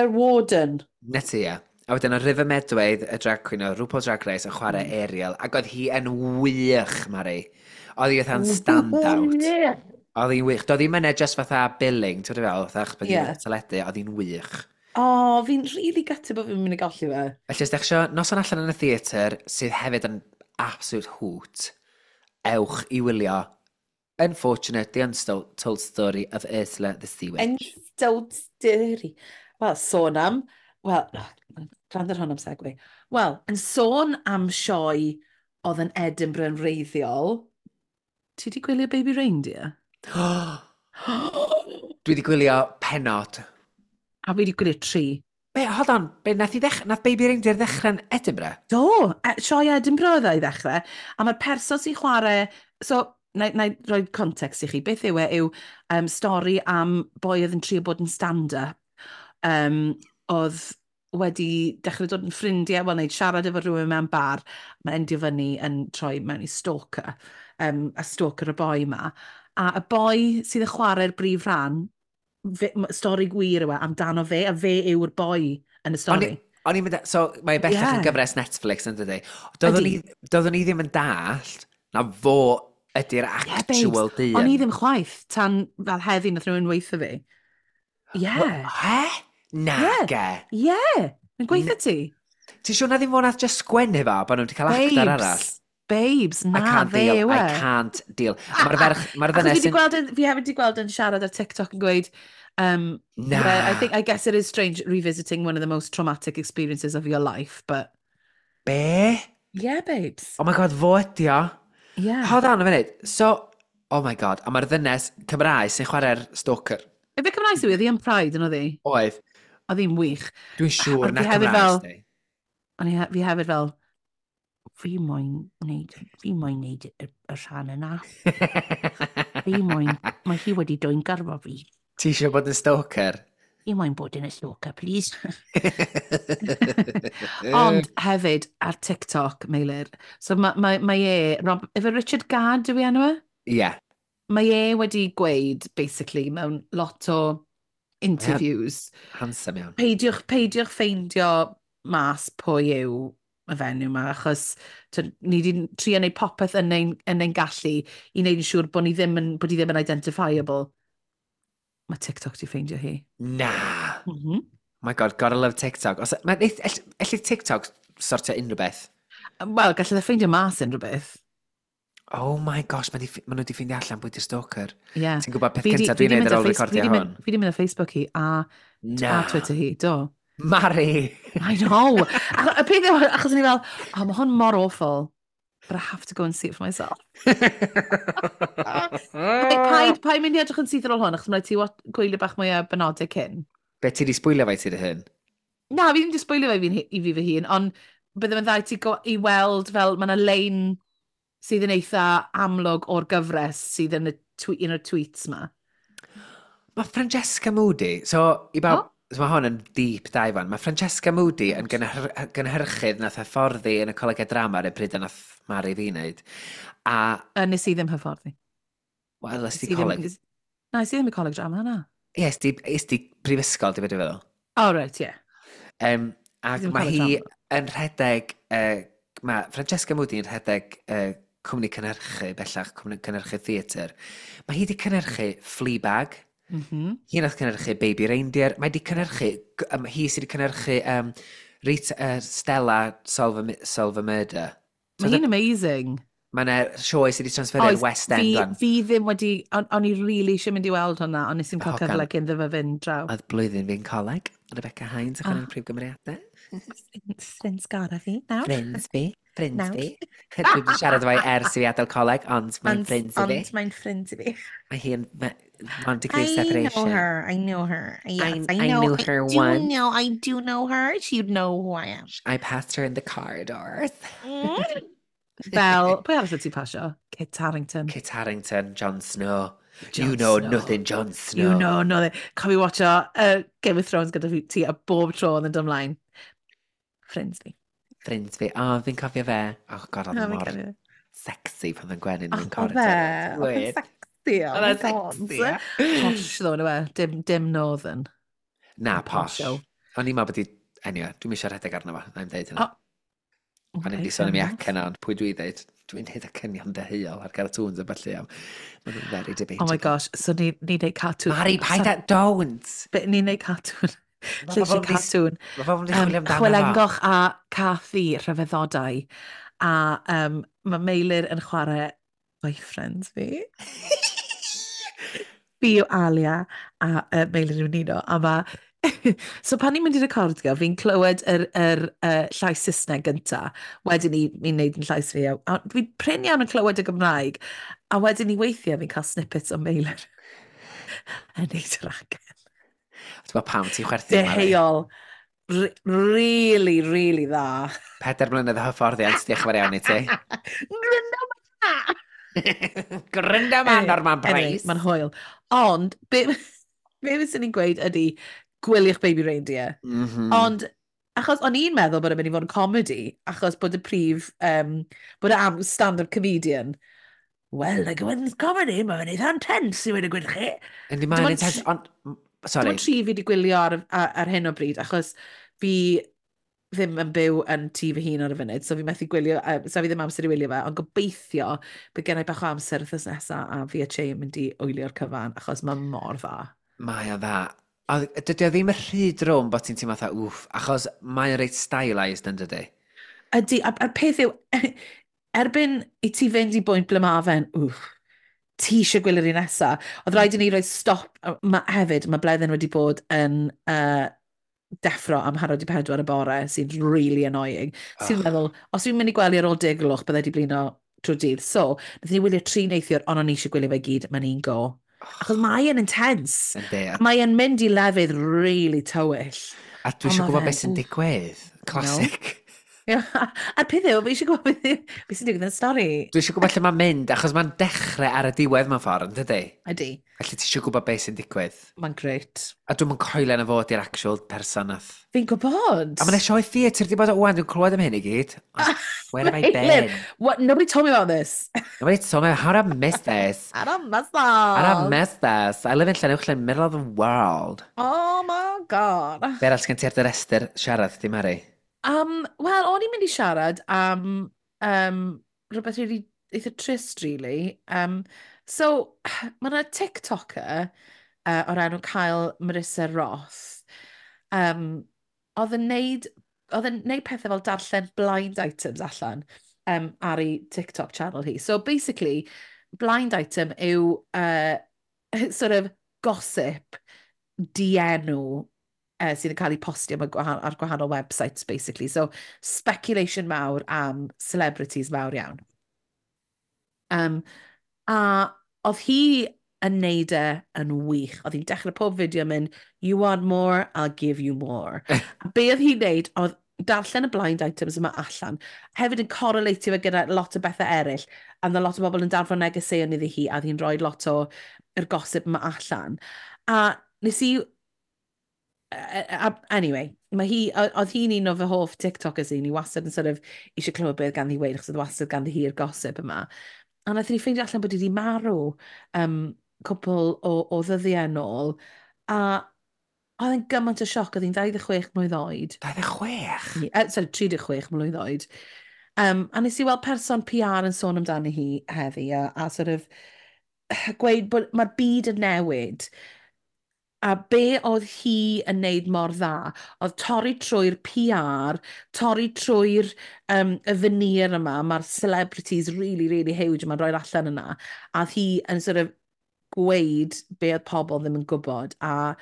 S1: yr Warden.
S2: Na ti, ie. A wedyn o River Medway, y drag queen o RuPaul's Drag Race yn chwarae Ariel. Ac oedd hi yn wych, Mari. Oedd hi fatha'n stand-out. Oedd hi'n wych. Doedd hi'n mynd just fatha billing, ti'n fel, fatha achos bod hi'n teledu, oedd hi'n wych.
S1: Oh, fi'n really gutted bod fi'n mynd i golli fe.
S2: Felly, os ydych chi noson allan yn y theatr, sydd hefyd yn absolute hoot, ewch i wylio Unfortunate, The Untold Story of Ursula the Sea Witch.
S1: Untold Story. Wel, sôn am. Wel, gwrando ar hwn am segue. Wel, yn sôn am sioe oedd yn Edinburgh yn wreiddiol, ti di gwylio Baby Reindeer?
S2: Dwi wedi gwylio penod.
S1: A fi wedi gwylio tri.
S2: Be, hold on, be, nath Baby Reindeer ddechrau'n Edinburgh?
S1: Do, sioe Edinburgh oedd e i ddechrau. A mae'r person sy'n chwarae. So, na i roi context i chi. Beth yw e yw stori am boi oedd yn trio bod yn stand-up. Oedd wedi dechrau dod yn ffrindiau, wel, wneud siarad efo rhywun mewn bar. Mae'n endio fyny yn troi mewn i stalker. A stalker y boi ma. A y boi sydd yn chwarae'r brif rhan, stori gwir yw e, amdano fe, a fe yw'r boi yn y stori.
S2: O'n i'n mynd, so mae bellach yn gyfres Netflix yn dydi? Doeddwn
S1: Ydi.
S2: Doeddwn i ddim yn dallt na fo ydy'r actual
S1: Babes.
S2: dyn.
S1: O'n i ddim chwaith, tan fel heddi nath rhywun weithio fi. Ie.
S2: He? Na, ge.
S1: Ie. Yn gweithio ti.
S2: Ti'n siŵr na ddim fo nath just sgwennu fo, bod nhw wedi cael actor arall?
S1: Babes,
S2: I
S1: na,
S2: can't
S1: fe
S2: deal,
S1: yw
S2: I
S1: e.
S2: can't deal. Mae'r ferch, mae'r
S1: Achos
S2: ddynes
S1: fi 'di
S2: yn
S1: fi hefyd wedi gweld yn siarad ar TikTok yn gweud,
S2: Na.
S1: "Yeah, I think, I guess it is strange revisiting one of the most traumatic experiences of your life, but."
S2: Be?
S1: Yeah, babes.
S2: Oh my God, fo ydi o.
S1: Yeah.
S2: Hold on a minute. So, oh my God, a mae'r ddynes Cymraeg sy'n chwarae'r stalker.
S1: Efe Cymraeg sydd, oedd hi yn Pride yn oedd hi?
S2: Oedd.
S1: Oedd hi'n wych.
S2: Dwi'n siŵr
S1: Ond
S2: na
S1: fi hefyd
S2: Cymraeg di.
S1: O'n i fi hefyd fel, fi moyn neud y rhan yna. Fi moyn, mae hi wedi dwyn gyrfa fi.
S2: Ti eisiau bod yn stalker?
S1: Fi moyn bod yn y stalker, please. Ond hefyd, ar TikTok, Meilir, so mae e, Rob, efe Richard Gadd yw ei enw e?
S2: Ie.
S1: Mae e wedi gweud, basically, mewn lot o interviews,
S2: Handsome iawn.
S1: peidiwch ffeindio mas pwy yw y fenyw yma, achos ni wedi trio wneud popeth yn ein gallu i wneud yn siŵr bod ni ddim yn, bod hi ddim yn identifiable. Mae TikTok di ffeindio hi.
S2: Na. My God, gotta love TikTok. Os, mae, elli TikTok sortio unrhyw beth?
S1: Wel, gallai e ffeindio mas unrhyw beth.
S2: Oh my gosh, ma nhw wedi ffeindio allan pwy di'r stalker.
S1: Yeah.
S2: Ti'n gwybod peth
S1: Fi
S2: cyntaf
S1: fi
S2: dwi'n
S1: 'di
S2: neud
S1: mynd
S2: ar ôl
S1: Fi
S2: recordio
S1: 'di
S2: hwn?
S1: Fi wedi mynd ar Facebook hi
S2: Na.
S1: a Twitter hi, do.
S2: Mari!
S1: I know. Y peth yw, achos o'n i fel, "Oh, mae hwn mor awful, but I have to go and see it for myself." Paid mynd i edrych yn syth ar ôl hwn, achos mae'n rhaid ti gwylio bach mwy o benodau cyn.
S2: Be, ti di sbwylio fe ti dy hun?
S1: Na, fi ddim wedi sbwylio fe i fi fy hun, ond bydde fe'n dda i ti i weld fel mae yna lein sydd yn eitha amlwg o'r gyfres sydd yn un o'r tweets ma.
S2: Mae Francesca Moody, so i bawb,
S1: Oh.
S2: so mae hwn yn deep dive on. Mae Francesca Moody yn gynhyrchydd nath hyfforddi yn y colegau drama ar y pryd nath Mari fi wneud. A,
S1: Nes i ddim hyfforddi.
S2: Wel, ys
S1: Nes
S2: di
S1: i ddim-
S2: coleg?
S1: Na, nes i ddim i coleg drama, na.
S2: Ie, es di prifysgol, di beth dwi'n feddwl.
S1: Oh, right, yeah.
S2: Ac
S1: Ddim
S2: mae
S1: coleg
S2: hi
S1: drama.
S2: yn rhedeg, mae Francesca Moody yn rhedeg cwmni cynhyrchu bellach, cwmni cynhyrchu theatr. Mae hi wedi cynhyrchu Fleabag, hi nath cynhyrchu Baby Reindeer, mae wedi cynhyrchu, hi sydd wedi cynhyrchu Rita, Stella Solve a Murder.
S1: Mae hi'n amazing.
S2: Mae yna sioe sydd wedi transferu i'r West End.
S1: Fi, fi ddim wedi, o'n i really eisiau mynd i weld hwnna, ond nes i'n cael cyfle cyn ddo fe fynd draw.
S2: Oedd blwyddyn fi'n coleg, Rebecca Hines, ac o'n prif gymeriadau.
S1: Ffrind sgara fi, nawr.
S2: Ffrind fi, ffrind fi. Dwi wedi siarad efo ers i fi adael coleg, ond mae'n ffrind i fi.
S1: Ond mae'n ffrind i fi.
S2: Mae hi'n one degree separation.
S1: I know her, I know her. Yes, I know,
S2: I knew her once.
S1: Know, I do know her. She'd know who I am.
S2: I passed her in the corridors.
S1: Fel, pwy arall wyt ti'n pasio? Kit Harington.
S2: Kit Harington, Jon Snow.
S1: Jon
S2: you know
S1: Snow.
S2: Nothing, Jon Snow.
S1: You know nothing. Cofio watcho Game of Thrones gyda ti a bob tro yn dod ymlaen. Ffrind fi.
S2: Ffrind fi. O, oh, fi'n cofio fe. Oh god, oedd mor sexy pan oedd Gwenyn mewn
S1: corridor. Oedd e. Oedd sexy.
S2: Oedd e'n sexy.
S1: Posh ddo, yna fe. Dim northern.
S2: Na, posh. O'n i'n meddwl bod i... Anyway, dwi'n eisiau rhedeg arno fo. Na i'n deud hynna. Okay, o'n i'n sôn am ei acen ond pwy dwi ddeud, dwi'n neud acenion deheuol ar cartoons a felly am. Mae'n very debatable.
S1: Oh my gosh, so ni'n ni neud cartoon.
S2: Mari, paid a, don't!
S1: Ni'n neud cartoon. Lleisio cartoon.
S2: Mae pobl yn chwilio amdano fo.
S1: Chwilengoch a Cathy rhyfeddodau. A mae Meilir yn chwarae boyfriend fi. Fi yw Alia a Meilir yw Nino. A mae... So pan ni'n mynd i recordio, fi'n clywed yr llais Saesneg gynta. Wedyn ni'n neud yn llais fi. A fi'n prin iawn yn clywed y Gymraeg. A wedyn ni weithiau fi'n cael snippets o Meilir yn neud yr acen.
S2: Ti'n gwybod pam ti'n chwerthin,
S1: Mari? Deheuol. Really, really dda.
S2: 4 mlynedd o hyfforddiant, diolch yn fawr iawn i ti.
S1: Gryndo ma!
S2: Gryndo ma, Norman Price.
S1: Mae'n hwyl. Ond, be fyswn i'n gweud ydy, gwyliwch Baby Reindeer.
S2: Mm -hmm.
S1: Ond, achos o'n i'n meddwl bod e'n mynd i fod yn comedy, achos bod y prif, bod e am stand-up comedian. Well, like, when it's comedy, mae'n eitha intense i wedi gweud chi.
S2: Yndi, mae'n intense, ond, sorry.
S1: Dim ond tri fi wedi gwylio ar hyn o bryd, achos fi ddim yn byw yn tŷ fy hun ar y funud, so fi methu gwylio, so fi ddim amser i wylio fe, ond gobeithio bydd gennau bach o amser wythnos nesaf a fi a Che yn mynd i wylio'r cyfan, achos mae mor dda.
S2: Mae o dda. Dydy o ddim y rhy drwm bod ti'n teimlo fatha, wff, achos mae'n reit stylised yn dydy.
S1: Ydy, a'r peth yw, erbyn i ti fynd i bwynt ble ma fe'n, wff, ti eisiau gwylio'r un nesa. Oedd rhaid i ni roi stop, hefyd, mae Bleddyn wedi bod yn deffro am 3:45 y bore, sy'n really annoying. Sy'n meddwl, os dwi'n mynd i gwely ar ôl 10 gloch, byddai di blino trwy'r dydd. So, nath ni wylio 3 neithiwr, ond o'n i eisiau gwylio fe gyd, mae'n un go. Achos mae e'n intense. Mae e'n mynd i lefydd really tywyll.
S2: A dwi eisiau gwybod beth sy'n digwydd. Classic.
S1: No. A'r peth yw, fi eisiau gwybod beth sy'n digwydd yn stori.
S2: Dwi eisiau gwybod lle mae'n mynd, achos mae'n dechrau ar y diwedd mewn ffordd, yn dydy?
S1: Ydy.
S2: Felly ti eisiau gwybod beth sy'n digwydd.
S1: Mae'n great.
S2: A dwi'n mynd coelio na fod i'r actual person nath.
S1: Fi'n gwybod.
S2: A mae'n sioe theatr di bod o wan, dwi'n clywed am hyn i gyd. Where have I been?
S1: What? Nobody told me about this.
S2: Nobody told me. How did I miss this?
S1: I don't miss this.
S2: I don't miss this. I live in Llanuwchllyn, middle of the world.
S1: Oh my god.
S2: Be arall sgen ti ar dy restr siarad, di Mari?
S1: Wel, o'n i'n mynd i siarad am rhywbeth really eitha trist, really. So, mae yna TikToker o'r enw Kyle Marissa Roth. Oedd yn neud pethau fel darllen blind items allan ar ei TikTok channel hi. So, basically, blind item yw sort of gossip dienw sydd yn cael ei postio ar gwahanol websites, basically. So, speculation mawr am celebrities mawr iawn. A oedd hi yn neud e yn wych. Oedd hi'n dechrau pob fideo mynd, you want more, I'll give you more. A be oedd hi'n neud, oedd darllen y blind items yma allan, hefyd yn correlatio fe gyda lot o bethau eraill, a oedd lot o bobl yn danfon negeseuon iddi hi, a oedd hi'n rhoi lot o yr gossip yma allan. A nes i... Anyway, mae hi, oedd hi'n un o fy hoff TikTokers i, ni wastad yn sort of eisiau clywed beth ganddi weud, achos oedd wastad ganddi hi'r gossip yma. A wnaethon ni ffeindio allan bod hi wedi marw cwpl o ddyddiau nôl, a oedd e'n gymaint o sioc, oedd hi'n 26 mlwydd oed.
S2: 26?
S1: Sorry, 36 mlwydd oed. A nes i weld person PR yn sôn amdani hi heddi, a sort of gweud bod mae'r byd yn newid. A be oedd hi yn neud mor dda, oedd torri trwy'r PR, torri trwy'r y veneer yma, mae'r celebrities really, really huge yma'n rhoi'r allan yna. A oedd hi yn sort of gweud be oedd pobl ddim yn gwybod. A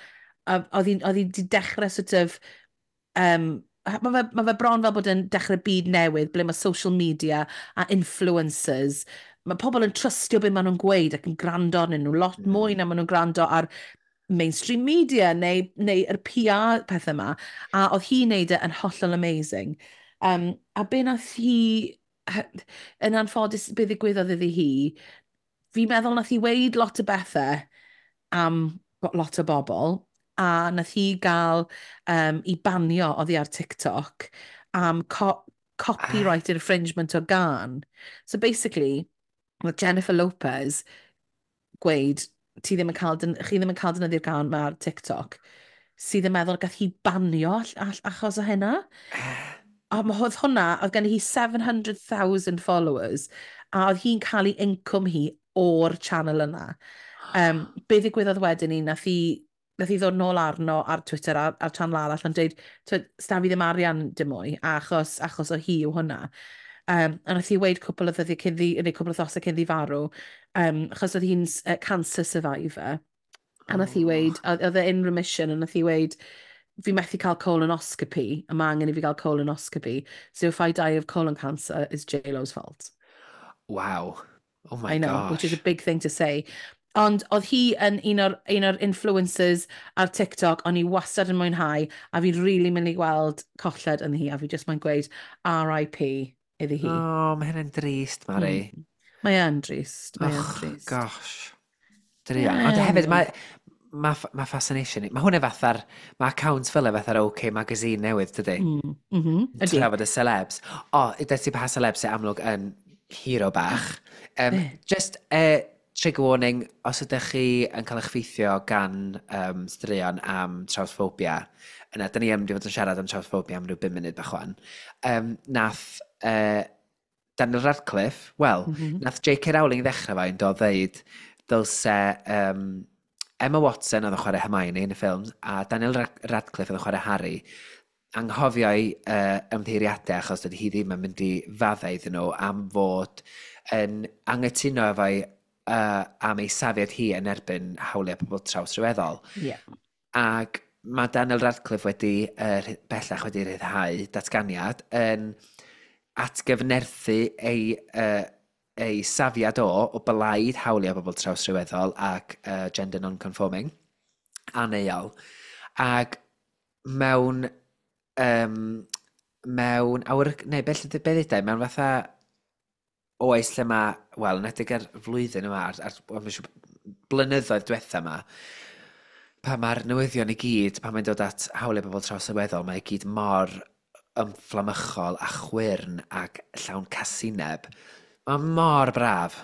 S1: oedd hi wedi dechrau sort of... Mae fe bron fel bod yn dechrau byd newydd ble mae social media a influencers. Mae pobl yn trystio beth maen nhw'n gweud ac yn gwrando arnyn nhw lot mwy na maen nhw'n gwrando ar mainstream media neu yr PR pethau yma. A oedd hi'n neud e yn hollol amazing. A be nath hi, yn anffodus, be ddigwyddodd iddi hi, fi'n meddwl nath hi weud lot o bethau am lot o bobl, a nath hi gael i banio oddi ar TikTok am copyright infringement o gân. So basically, mae Jennifer Lopez gweud, ti ddim yn cael, chi ddim yn cael defnyddio'r gân ma ar TikTok, sydd yn meddwl gath hi banio achos o hynna. A mae oedd hwnna, oedd gen hi 700,000 followers, a oedd hi'n cael ei incwm hi o'r channel yna. Be ddigwyddodd wedyn ni, nath hi ddod nôl arno ar Twitter, ar channel arall, yn dweud, "Sta fi ddim arian dim mwy, achos o hi yw hwnna." A nath hi weud cwpl o ddyddiau cyn ddi, neu cwpl o wythnosau cyn ddi farw, achos oedd hi'n cancer survivor. A nath hi weud, oedd e in remission, a nath hi weud, "Fi methu cael colonoscopy, a mae angen i fi gael colonoscopy, so if I die of colon cancer, it's J-Lo's fault."
S2: Wow. Oh my
S1: I know,
S2: gosh.
S1: which is a big thing to say. Ond oedd hi yn un o'r influencers ar TikTok, o'n i wastad yn mwynhau, a fi'n really mynd i gweld colled yn hi, a fi just mae'n gweud RIP iddi hi.
S2: Oh, mae hynny'n drist, Mari.
S1: Mae yn drist, mae yn
S2: Och,
S1: drist.
S2: Gosh. Druan. Ond hefyd, mae fascination. Mae hwnna fatha'r... Mae account fel e fatha'r OK Magazine newydd, dydy?
S1: Mm, ydy.
S2: Trafod y celebs. O, oh, ti pa celebs sy'n amlwg yn hero bach.
S1: Be?
S2: Just trigger warning, os ydych chi yn cael eich effeithio gan straeon am trawsphobia, yna, dyn ni yn mynd i fod yn siarad am trawsphobia am ryw 5 munud bach wan. Nath Daniel Radcliffe, wel, nath J.K. Rowling ddechrau fo yn dod ddeud dylse Emma Watson oedd yn chwarae Hermione yn y ffilm a Daniel Radcliffe oedd yn chwarae Harry anghofio'i ymddiheuriadau achos dydy hi ddim yn mynd i faddau iddyn nhw am fod yn angytuno efo'i am ei safiad hi yn erbyn hawliau pobl trawsryweddol. Ac mae Daniel Radcliffe wedi, bellach wedi rhyddhau datganiad yn atgyfnerthu ei safiad o blaid hawliau bobl trawsryweddol ac gender non-conforming, aneuol. Ac mewn awyr, neu beth be ddudai, mewn fatha oes lle mae, wel, yn edrych ar flwyddyn yma, ar wel, mae'n siŵr blynyddoedd diwetha yma, pan mae'r newyddion i gyd, pan mae'n dod at hawliau bobl trawsryweddol, mae i gyd mor ymfflamychol a chwyrn ac llawn casineb. Mae mor braf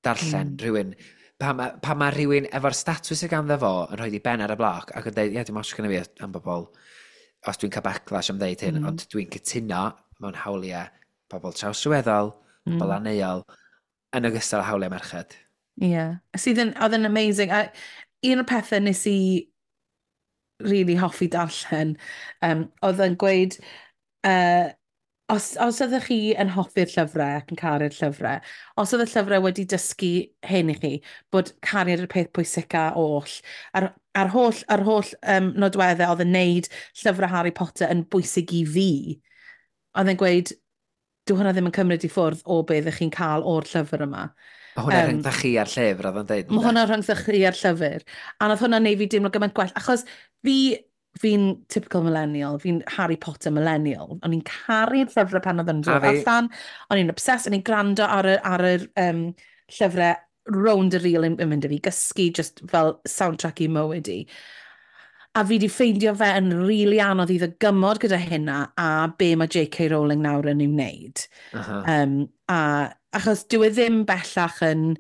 S2: darllen rhywun, pan ma rhywun efo'r statws sydd ganddo fo yn rhoi i ben ar y bloc ac yn dweud, "Ie, dim ots gyda fi am bobl, os dwi'n cael backlash am ddeud hyn, ond dwi'n cytuno mewn hawliau pobl trawsryweddol, pobl aneuol, yn ogystal â hawliau merched."
S1: Ie. Yeah. Sydd yn, oedd yn amazing. A un o'r pethau nes i really hoffi darllen, oedd yn gweud, os ydych chi yn hoffi'r llyfrau ac yn caru'r llyfrau, os oedd y llyfrau wedi dysgu hyn i chi, bod cariad yw'r peth pwysica oll, a'r holl nodweddau oedd yn neud llyfrau Harry Potter yn bwysig i fi, oedd yn gweud, dyw hwnna ddim yn cymryd i ffwrdd o beth ydych chi'n cael o'r llyfr yma.
S2: Mae hwnna rhyngdda chi a'r llyfr, oedd o'n dweud.
S1: Mae hwnna rhyngdda chi a'r llyfr. A nath hwnna neud fi deimlo gymaint gwell. Achos fi'n typical millennial, fi'n Harry Potter millennial. O'n i'n caru'r llyfrau pan oedd yn dod allan. O'n i'n obsessed, o'n i'n gwrando ar yr llyfrau rownd y reel yn mynd i fi gysgu, just fel soundtrack i mywyd i. A fi di ffeindio fe yn rili really anodd i ddygymod gyda hynna a be mae J.K. Rowling nawr yn ei wneud. A achos dyw e ddim bellach yn...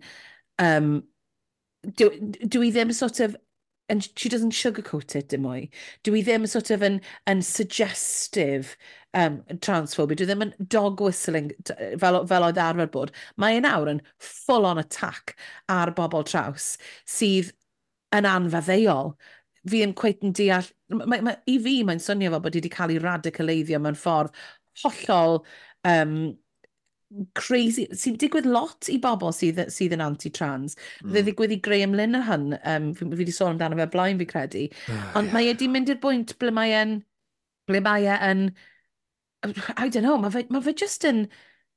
S1: Dwi ddim sort of... And she doesn't sugarcoat it dim mwy. Dwi ddim sort of yn suggestive transphobia. Dwi ddim yn dog whistling fel oedd arfer bod. Mae e nawr yn full on attack ar bobl traws sydd yn anfaddeuol. Fi ddim cweit yn deall. I fi, mae'n swnio fel bod hi wedi cael ei radicaleiddio mewn ffordd hollol crazy, sy'n digwydd lot i bobl sydd yn anti-trans. Ddigwydd i Graham Linehan, fi wedi sôn amdano fe blaen fi credu. Ond mae e wedi mynd i'r bwynt ble mae e yn, I don't know, mae fe just yn,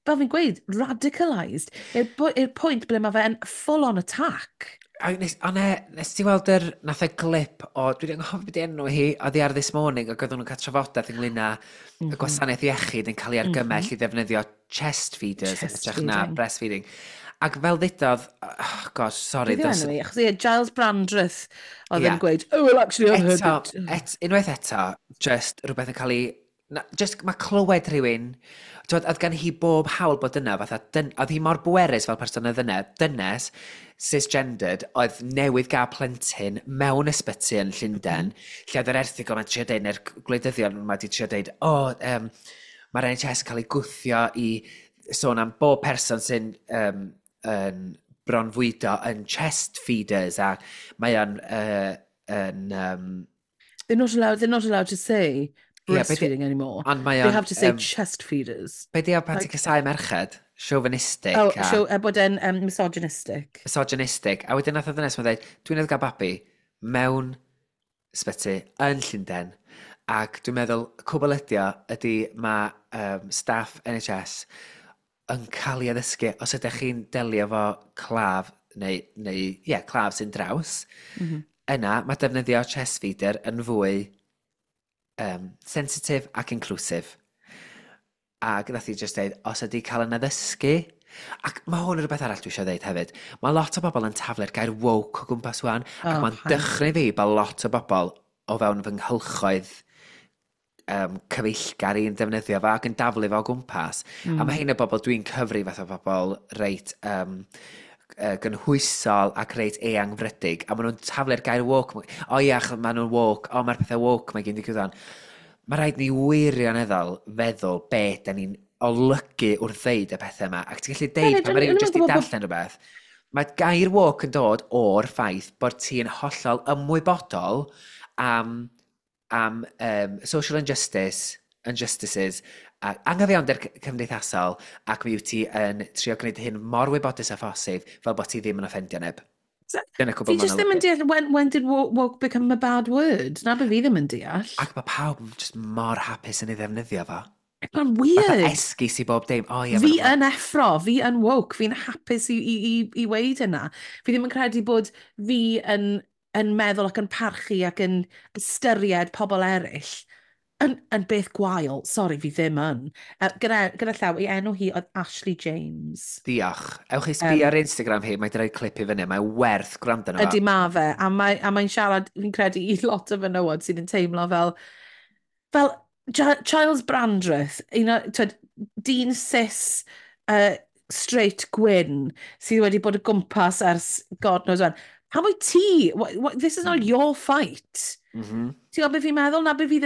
S1: fel fi'n gweud, radicalised. I'r pwynt ble mae fe yn full-on attack.
S2: A nes, ond nes ti weld yr, nath e glip o, dwi wedi anghofio beth enw hi, oedd hi ar This Morning, ac oedden nhw'n cael trafodaeth ynglyn â y gwasanaeth iechyd yn cael ei argymell i ddefnyddio chest feeders yn
S1: Chest
S2: hytrach na
S1: feeding.
S2: breastfeeding. Ac fel ddudodd, oh gosh, sorry.
S1: Beth yw enw hi? Achos ie, Giles Brandreth oedd yn gweud, "Oh, well, actually, I've heard
S2: Eto,
S1: it."
S2: Unwaith eto, just rhywbeth yn cael ei... Na, just mae clywed rhywun, twod, oedd gan hi bob hawl bod yna, fatha, oedd hi mor bwerus fel person oedd yna, dynes, cisgendered, oedd newydd gael plentyn mewn ysbyty yn Llundain, lle oedd yr erthygl yma'n trio deud, neu'r gwleidyddion yma wedi trio deud, o, oh, mae'r NHS yn cael ei gwthio i sôn am bob person sy'n yn bronfwydo yn chest feeders, a mae o'n yn
S1: They're not allowed to say
S2: Ie,
S1: breastfeeding anymore.
S2: Ond mae
S1: They
S2: o'n
S1: have to say chest feeders.
S2: Be di o pan ti'n casáu merched? Chauvinistic
S1: Oh,
S2: a
S1: so, bod e'n misogynistic.
S2: Misogynistic. A wedyn nath o ddynes ma'n dweud, "Dwi'n newydd gael babi mewn ysbyty yn Llundain. Ac dwi'n meddwl, cwbl ydi o ydy mae staff NHS yn cael ei addysgu os ydych chi'n delio efo claf, neu ie, yeah, claf sy'n draws, yna mae defnyddio chest feeder yn fwy sensitif ac inclusive." Ac nath hi just dweud, os ydy cael yn addysgu, ac mae hwn yn rhywbeth arall dwi eisiau dweud hefyd, mae lot o bobl yn taflu'r gair woke o gwmpas wan, ac
S1: Oh,
S2: mae'n
S1: paid.
S2: dychryn fi bod lot o bobl o fewn fy nghylchoedd cyfeillgar i'n defnyddio fo ac yn daflu fo o gwmpas. A mae hein o bobl dwi'n cyfri fath o bobl reit gynhwysol ac reit eangfrydig, a maen nhw'n taflu'r gair woke. O ia, achos maen nhw'n woke, o mae'r pethau woke mae gyn digwydd o'n. Mae rhaid ni wirioneddol feddwl be da ni'n olygu wrth ddeud y pethau yma. Ac ti'n gallu deud
S1: Hefyd,
S2: pan mae
S1: o'n i
S2: rhywun
S1: ddim yn
S2: jyst i
S1: gwbod
S2: darllen rhywbeth. Mae gair woke yn dod o'r ffaith bod ti'n hollol ymwybodol am social injustice, injustices, a anghyfiawnder cymdeithasol, ac mi wyt ti yn trio gwneud hyn mor wybodus â phosib fel bod ti ddim yn offendio neb. Dyna cwbl
S1: Fi
S2: ma'n
S1: just ddim yn
S2: olygu.
S1: deall, when did woke become a bad word? Na be fi ddim yn deall.
S2: Ac mae pawb yn just mor hapus yn ei ddefnyddio fo.
S1: Mae'n
S2: Fatha
S1: weird.
S2: esgus i bob dim. O ie,
S1: Fi
S2: ma' nhw-
S1: yn effro, fi yn woke, fi'n hapus i weud yna. Fi ddim yn credu bod fi yn meddwl ac yn parchu ac yn ystyried pobl eraill yn beth gwael. Sorry, fi ddim yn. Gyda llaw, ei enw hi oedd Ashley James.
S2: Diolch. Ewch i sbio ar Instagram hi, mae wedi rhoi clip i fyny. Mae werth gwrando arno fo.
S1: Ydy ma fe, a mae'n siarad, fi'n credu, i lot o fenywod sydd yn teimlo fel Giles Brandreth, un o, twed, dyn cis, straight gwyn, sydd wedi bod o gwmpas ers God knows when. Pam wyt ti? What, this is not your fight. Ti'n gwybod beth fi'n meddwl? Na beth fi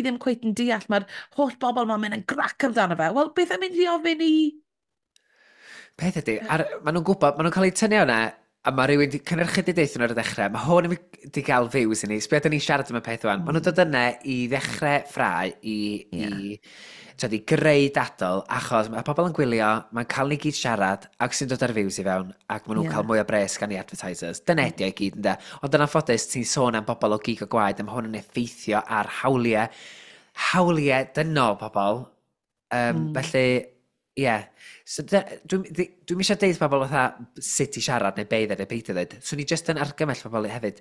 S1: ddim cweit yn deall. Mae'r holl bobl ma'n mynd yn grac amdano fe. Wel, beth am mynd i ofyn i?
S2: Peth ydy, maen nhw'n gwybod, maen nhw'n cael eu tynnu o'na, a mae rhywun di cynhyrchu di deithio nhw ar y dechrau. Mae hwn yn di gael views i ni. Sbio, da ni'n siarad am y peth wan. Maen nhw'n dod yna i ddechrau ffrau, i, twod, i greu dadl, achos mae pobl yn gwylio, mae'n cael ni gyd siarad, ac sy'n dod ar views i fewn, ac maen nhw'n cael mwy o bres gan i advertisers. Dyna ydi o i gyd, ynde. Ond yn anffodus, ti'n sôn am bobl o gig o gwaed, a mae hwn yn effeithio ar hawliau dynol pobl. Felly, ie. Yeah. So, dwi'm eisiau deud pobl fatha sut i siarad neu be i ddweud neu beidio ddweud. So, ni just yn argymell pobl hefyd.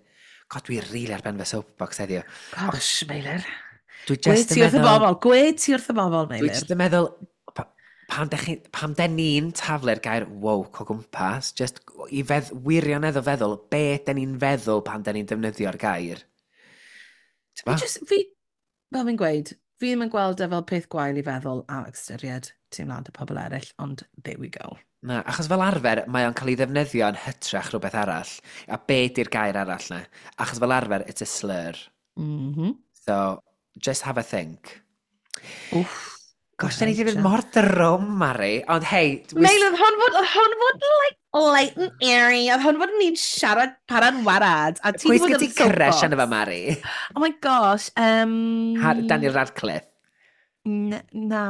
S2: God, dwi really ar ben fy soapbox heddiw.
S1: Gosh, Meilir.
S2: Dwi
S1: Gwed
S2: just
S1: ti
S2: yn
S1: wrth y
S2: meddwl.
S1: bobl, gwed ti wrth y bobl,
S2: Dwi
S1: Meilir.
S2: just yn meddwl, pam den ni'n taflu'r gair woke o gwmpas, just i wirioneddol feddwl, be den ni'n feddwl pan den ni'n defnyddio'r gair.
S1: Fi
S2: T'bo?
S1: just, fi, fel fi'n gweud, fi ddim yn gweld e fel peth gwael i feddwl a ystyried teimlad y pobl eraill, ond there we go.
S2: Na, achos fel arfer, mae o'n cael ei ddefnyddio yn hytrach rhywbeth arall. A be di'r gair arall na? Achos fel arfer, it's a slur. So, just have a think.
S1: Wff.
S2: Gosh, da ni wedi mynd mor drwm, Mari. Ond hei...
S1: Meil, oedd hwn fod like light and airy. Oedd hwn fod ni'n siarad para'n warad. A ti
S2: Pwy
S1: wedi bod
S2: sgyn
S1: ar
S2: ti
S1: y
S2: crush
S1: soapbox.
S2: arno fo, Mari?
S1: Oh my gosh.
S2: Daniel Radcliffe.
S1: Na.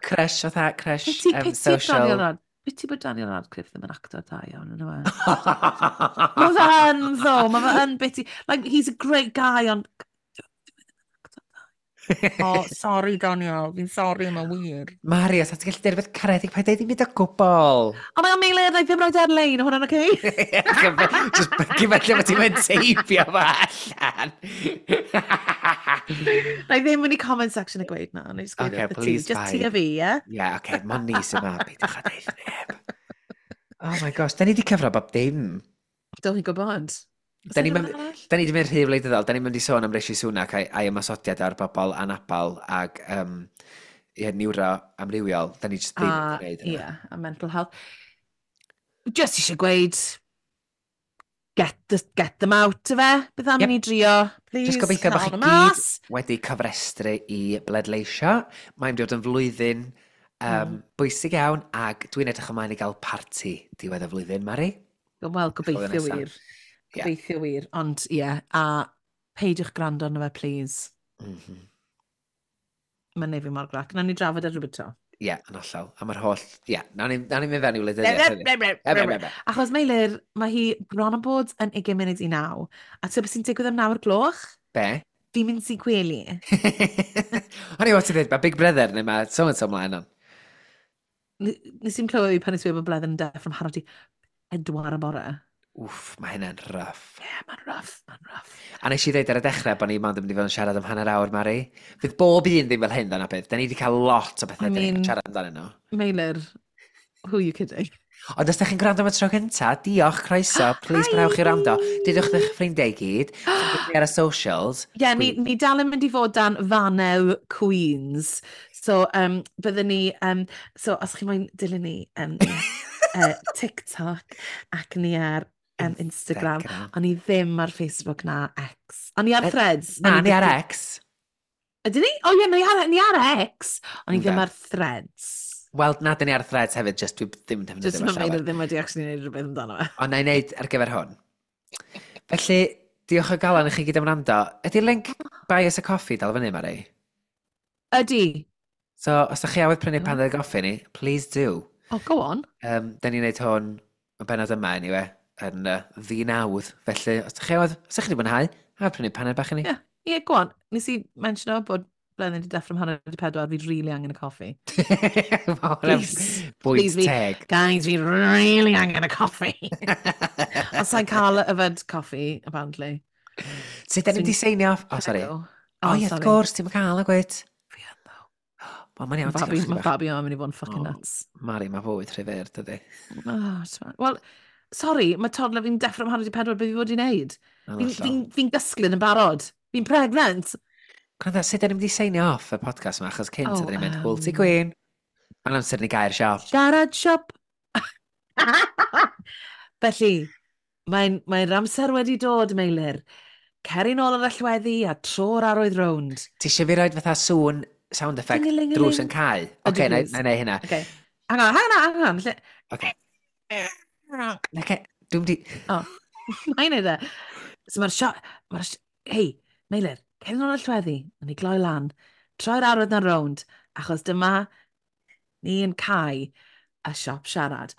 S2: Crush, fatha crush
S1: Pity, pity
S2: social.
S1: Daniel Rad... Pity bod Daniel Radcliffe ddim yn actor da iawn, yna fe. Mae fe yn, though. Mae fe yn bitty. Like, he's a great guy, ond oh, sorry, Daniel. Fi'n sorry, mae'n wir.
S2: Mari, os ti'n gallu deud rhywbeth caredig, paid deud ddim byd o gwbl.
S1: O, mae'n Meilir, na i ddim rhaid ar-lein, hwnna'n oce?
S2: Just gyfell lle ti'n mynd teipio fo allan.
S1: Na i ddim mynd i comment section a gweud na. Na i just gweud
S2: Okay,
S1: wrth y ti.
S2: please,
S1: Just ti
S2: paid.
S1: a fi, ie?
S2: Ie, oce, mon ni sy'n ma, peidiwch â deud neb. Oh my gosh, da ni wedi cyfro bob dim.
S1: Do, fi'n gwybod. Oes
S2: Da
S1: 'na
S2: ni'n
S1: rhywbeth
S2: mynd-
S1: arall?
S2: Da ni wedi mynd rhy wleidyddol, da ni'n mynd i sôn am Rishi Sunak a'i ymosodiad ar bobl anabal ag ie, niwro amrywiol. Da ni just ddim
S1: A,
S2: wedi gwneud
S1: ie,
S2: hynna.
S1: a mental health. Just eisiau gweud, get them out of e. Beth am i ni drio, please.
S2: Just gobeithio bod
S1: cael
S2: chi
S1: nhw
S2: gyd
S1: mas.
S2: wedi cofrestru i bleidleisio. Mae'n dod yn flwyddyn bwysig iawn ac dwi'n edrych ymlaen i gael parti diwedd y flwyddyn, Mari.
S1: Wel, gobeithio
S2: nesa.
S1: wir.
S2: Ie.
S1: Gobeithio wir. Ond ie, a peidiwch gwrando arno fe, please. Mae'n neud fi mor grac. Nawn ni drafod ar rhywbeth to.
S2: Ie, yn hollol. A mae'r holl... Ie, nawn ni mynd fewn i wleidyddiaeth hefyd.
S1: Achos Meilir, mae hi bron yn bod yn 20 munud i 9. A ti'n beth sy'n digwydd am 9 o'r gloch?
S2: Be?
S1: Fi'n mynd i gwely.
S2: O'n i wedi dweud, mae Big Brother neu mae so and so mlaen on.
S1: Nes i'n clywed fi pan nes i bod Bleddyn yn deffro am 3:30 y bore.
S2: Wff, mae hynna'n rough.
S1: Ie, yeah, mae'n rough, mae'n rough.
S2: A nes i ddeud ar y dechrau bod ni mond yn mynd i fod yn siarad am hanner awr, Mari. Fydd bob un ddim fel hyn, dyna beth. Da ni wedi cael lot o bethau
S1: I
S2: da ni'n
S1: mean-
S2: siarad amdanyn nhw.
S1: Meilir, who are you kidding?
S2: Ond os da chi'n gwrando am y tro cynta, diolch, croeso, please parhewch i wrando. Dudwch eich ffrindiau i gyd, chi'n ar y socials.
S1: Ie, yeah, ni dal yn mynd i fod dan Fanel Queens. So, byddwn ni, so os chi moyn dilyn ni, TikTok ac ni ar Instagram.
S2: Instagram.
S1: O'n i ddim ar Facebook na X. O'n i ar Threads.
S2: Na,
S1: O'n i
S2: ni ar
S1: byth-
S2: X.
S1: Ydyn ni? O ie, ni ar X. O'n i ddim
S2: Yndan.
S1: ar Threads.
S2: Wel, na, dyn ni ar Threads hefyd, just dwi ddim yn defnyddio
S1: Just
S2: fo
S1: mae
S2: llawer.
S1: Meilir ddim wedi actually gwneud rhywbeth amdano fe.
S2: Ond na i wneud ar gyfer hwn. Felly, diolch o galon i chi gyd am wrando. Ydy'r link buy us a coffee dal fyny, Mari?
S1: Ydy.
S2: So, os ydych chi awydd prynu
S1: O.
S2: paned o goffi ni, please do.
S1: Oh, go on.
S2: Da ni'n neud hwn y benod yma, anyway, yn ddi-nawdd. Felly, os ydych chi awydd, os ydych chi wedi mwynhau, a prynu paned bach i ni.
S1: Ie. Ie, go on. Nes i mentiono bod Bleddyn wedi deffro am 3:30, fi really angen y coffi.
S2: Mae hwnna'n
S1: Please.
S2: bwynt
S1: Please,
S2: teg.
S1: Guys, fi really angen y coffi. Ond sa'n cael yfed coffi, apparently.
S2: Sut da ni'n mynd i seinio off? Oh, sorry.
S1: Go.
S2: O, ie, wrth
S1: sorry.
S2: gwrs, ti'n cael y gwyt.
S1: Fi yn, though.
S2: Wel, mae'n iawn, ti'n
S1: Fabi,
S2: cael
S1: mae
S2: bach.
S1: Fabio yn mynd i fod yn fucking
S2: Oh.
S1: nuts.
S2: Mari, mae fywyd rhy fyr, dydy.
S1: Oh, wel, sorry, mae toddler fi'n deffro am 3:30, beth fi fod i wneud?
S2: Yn
S1: Fi'n
S2: hollol.
S1: fi gysglyd yn barod. Fi'n pregnant.
S2: Gwrando, sut da ni'n mynd i seinio off y podcast yma, achos cynt
S1: Oh,
S2: ydyn ni'n mynd, hwyl ti Queen. Mae'n amser ni gau'r siop.
S1: Siarad siop. Felly, mae'r amser wedi dod, Meilir. Ceri nôl yr allweddi a tro'r arwydd rownd.
S2: Ti eisiau fi roed fatha sŵn sound effect
S1: Ding-a-ling-a-ling.
S2: drws yn cau?
S1: Ydy,
S2: Oce, na
S1: please.
S2: i neud hynna.
S1: Okay. Hang on, hang on, hang on. Lle...
S2: Oce. Oce, dwi'n di...
S1: Oh, mae'n neud e. So mae'r sio... Hei, Meilir, ceri nôl yr allweddi, a ni gloi lan. Troi'r arwydd na rownd, achos dyma ni yn cau y siop siarad.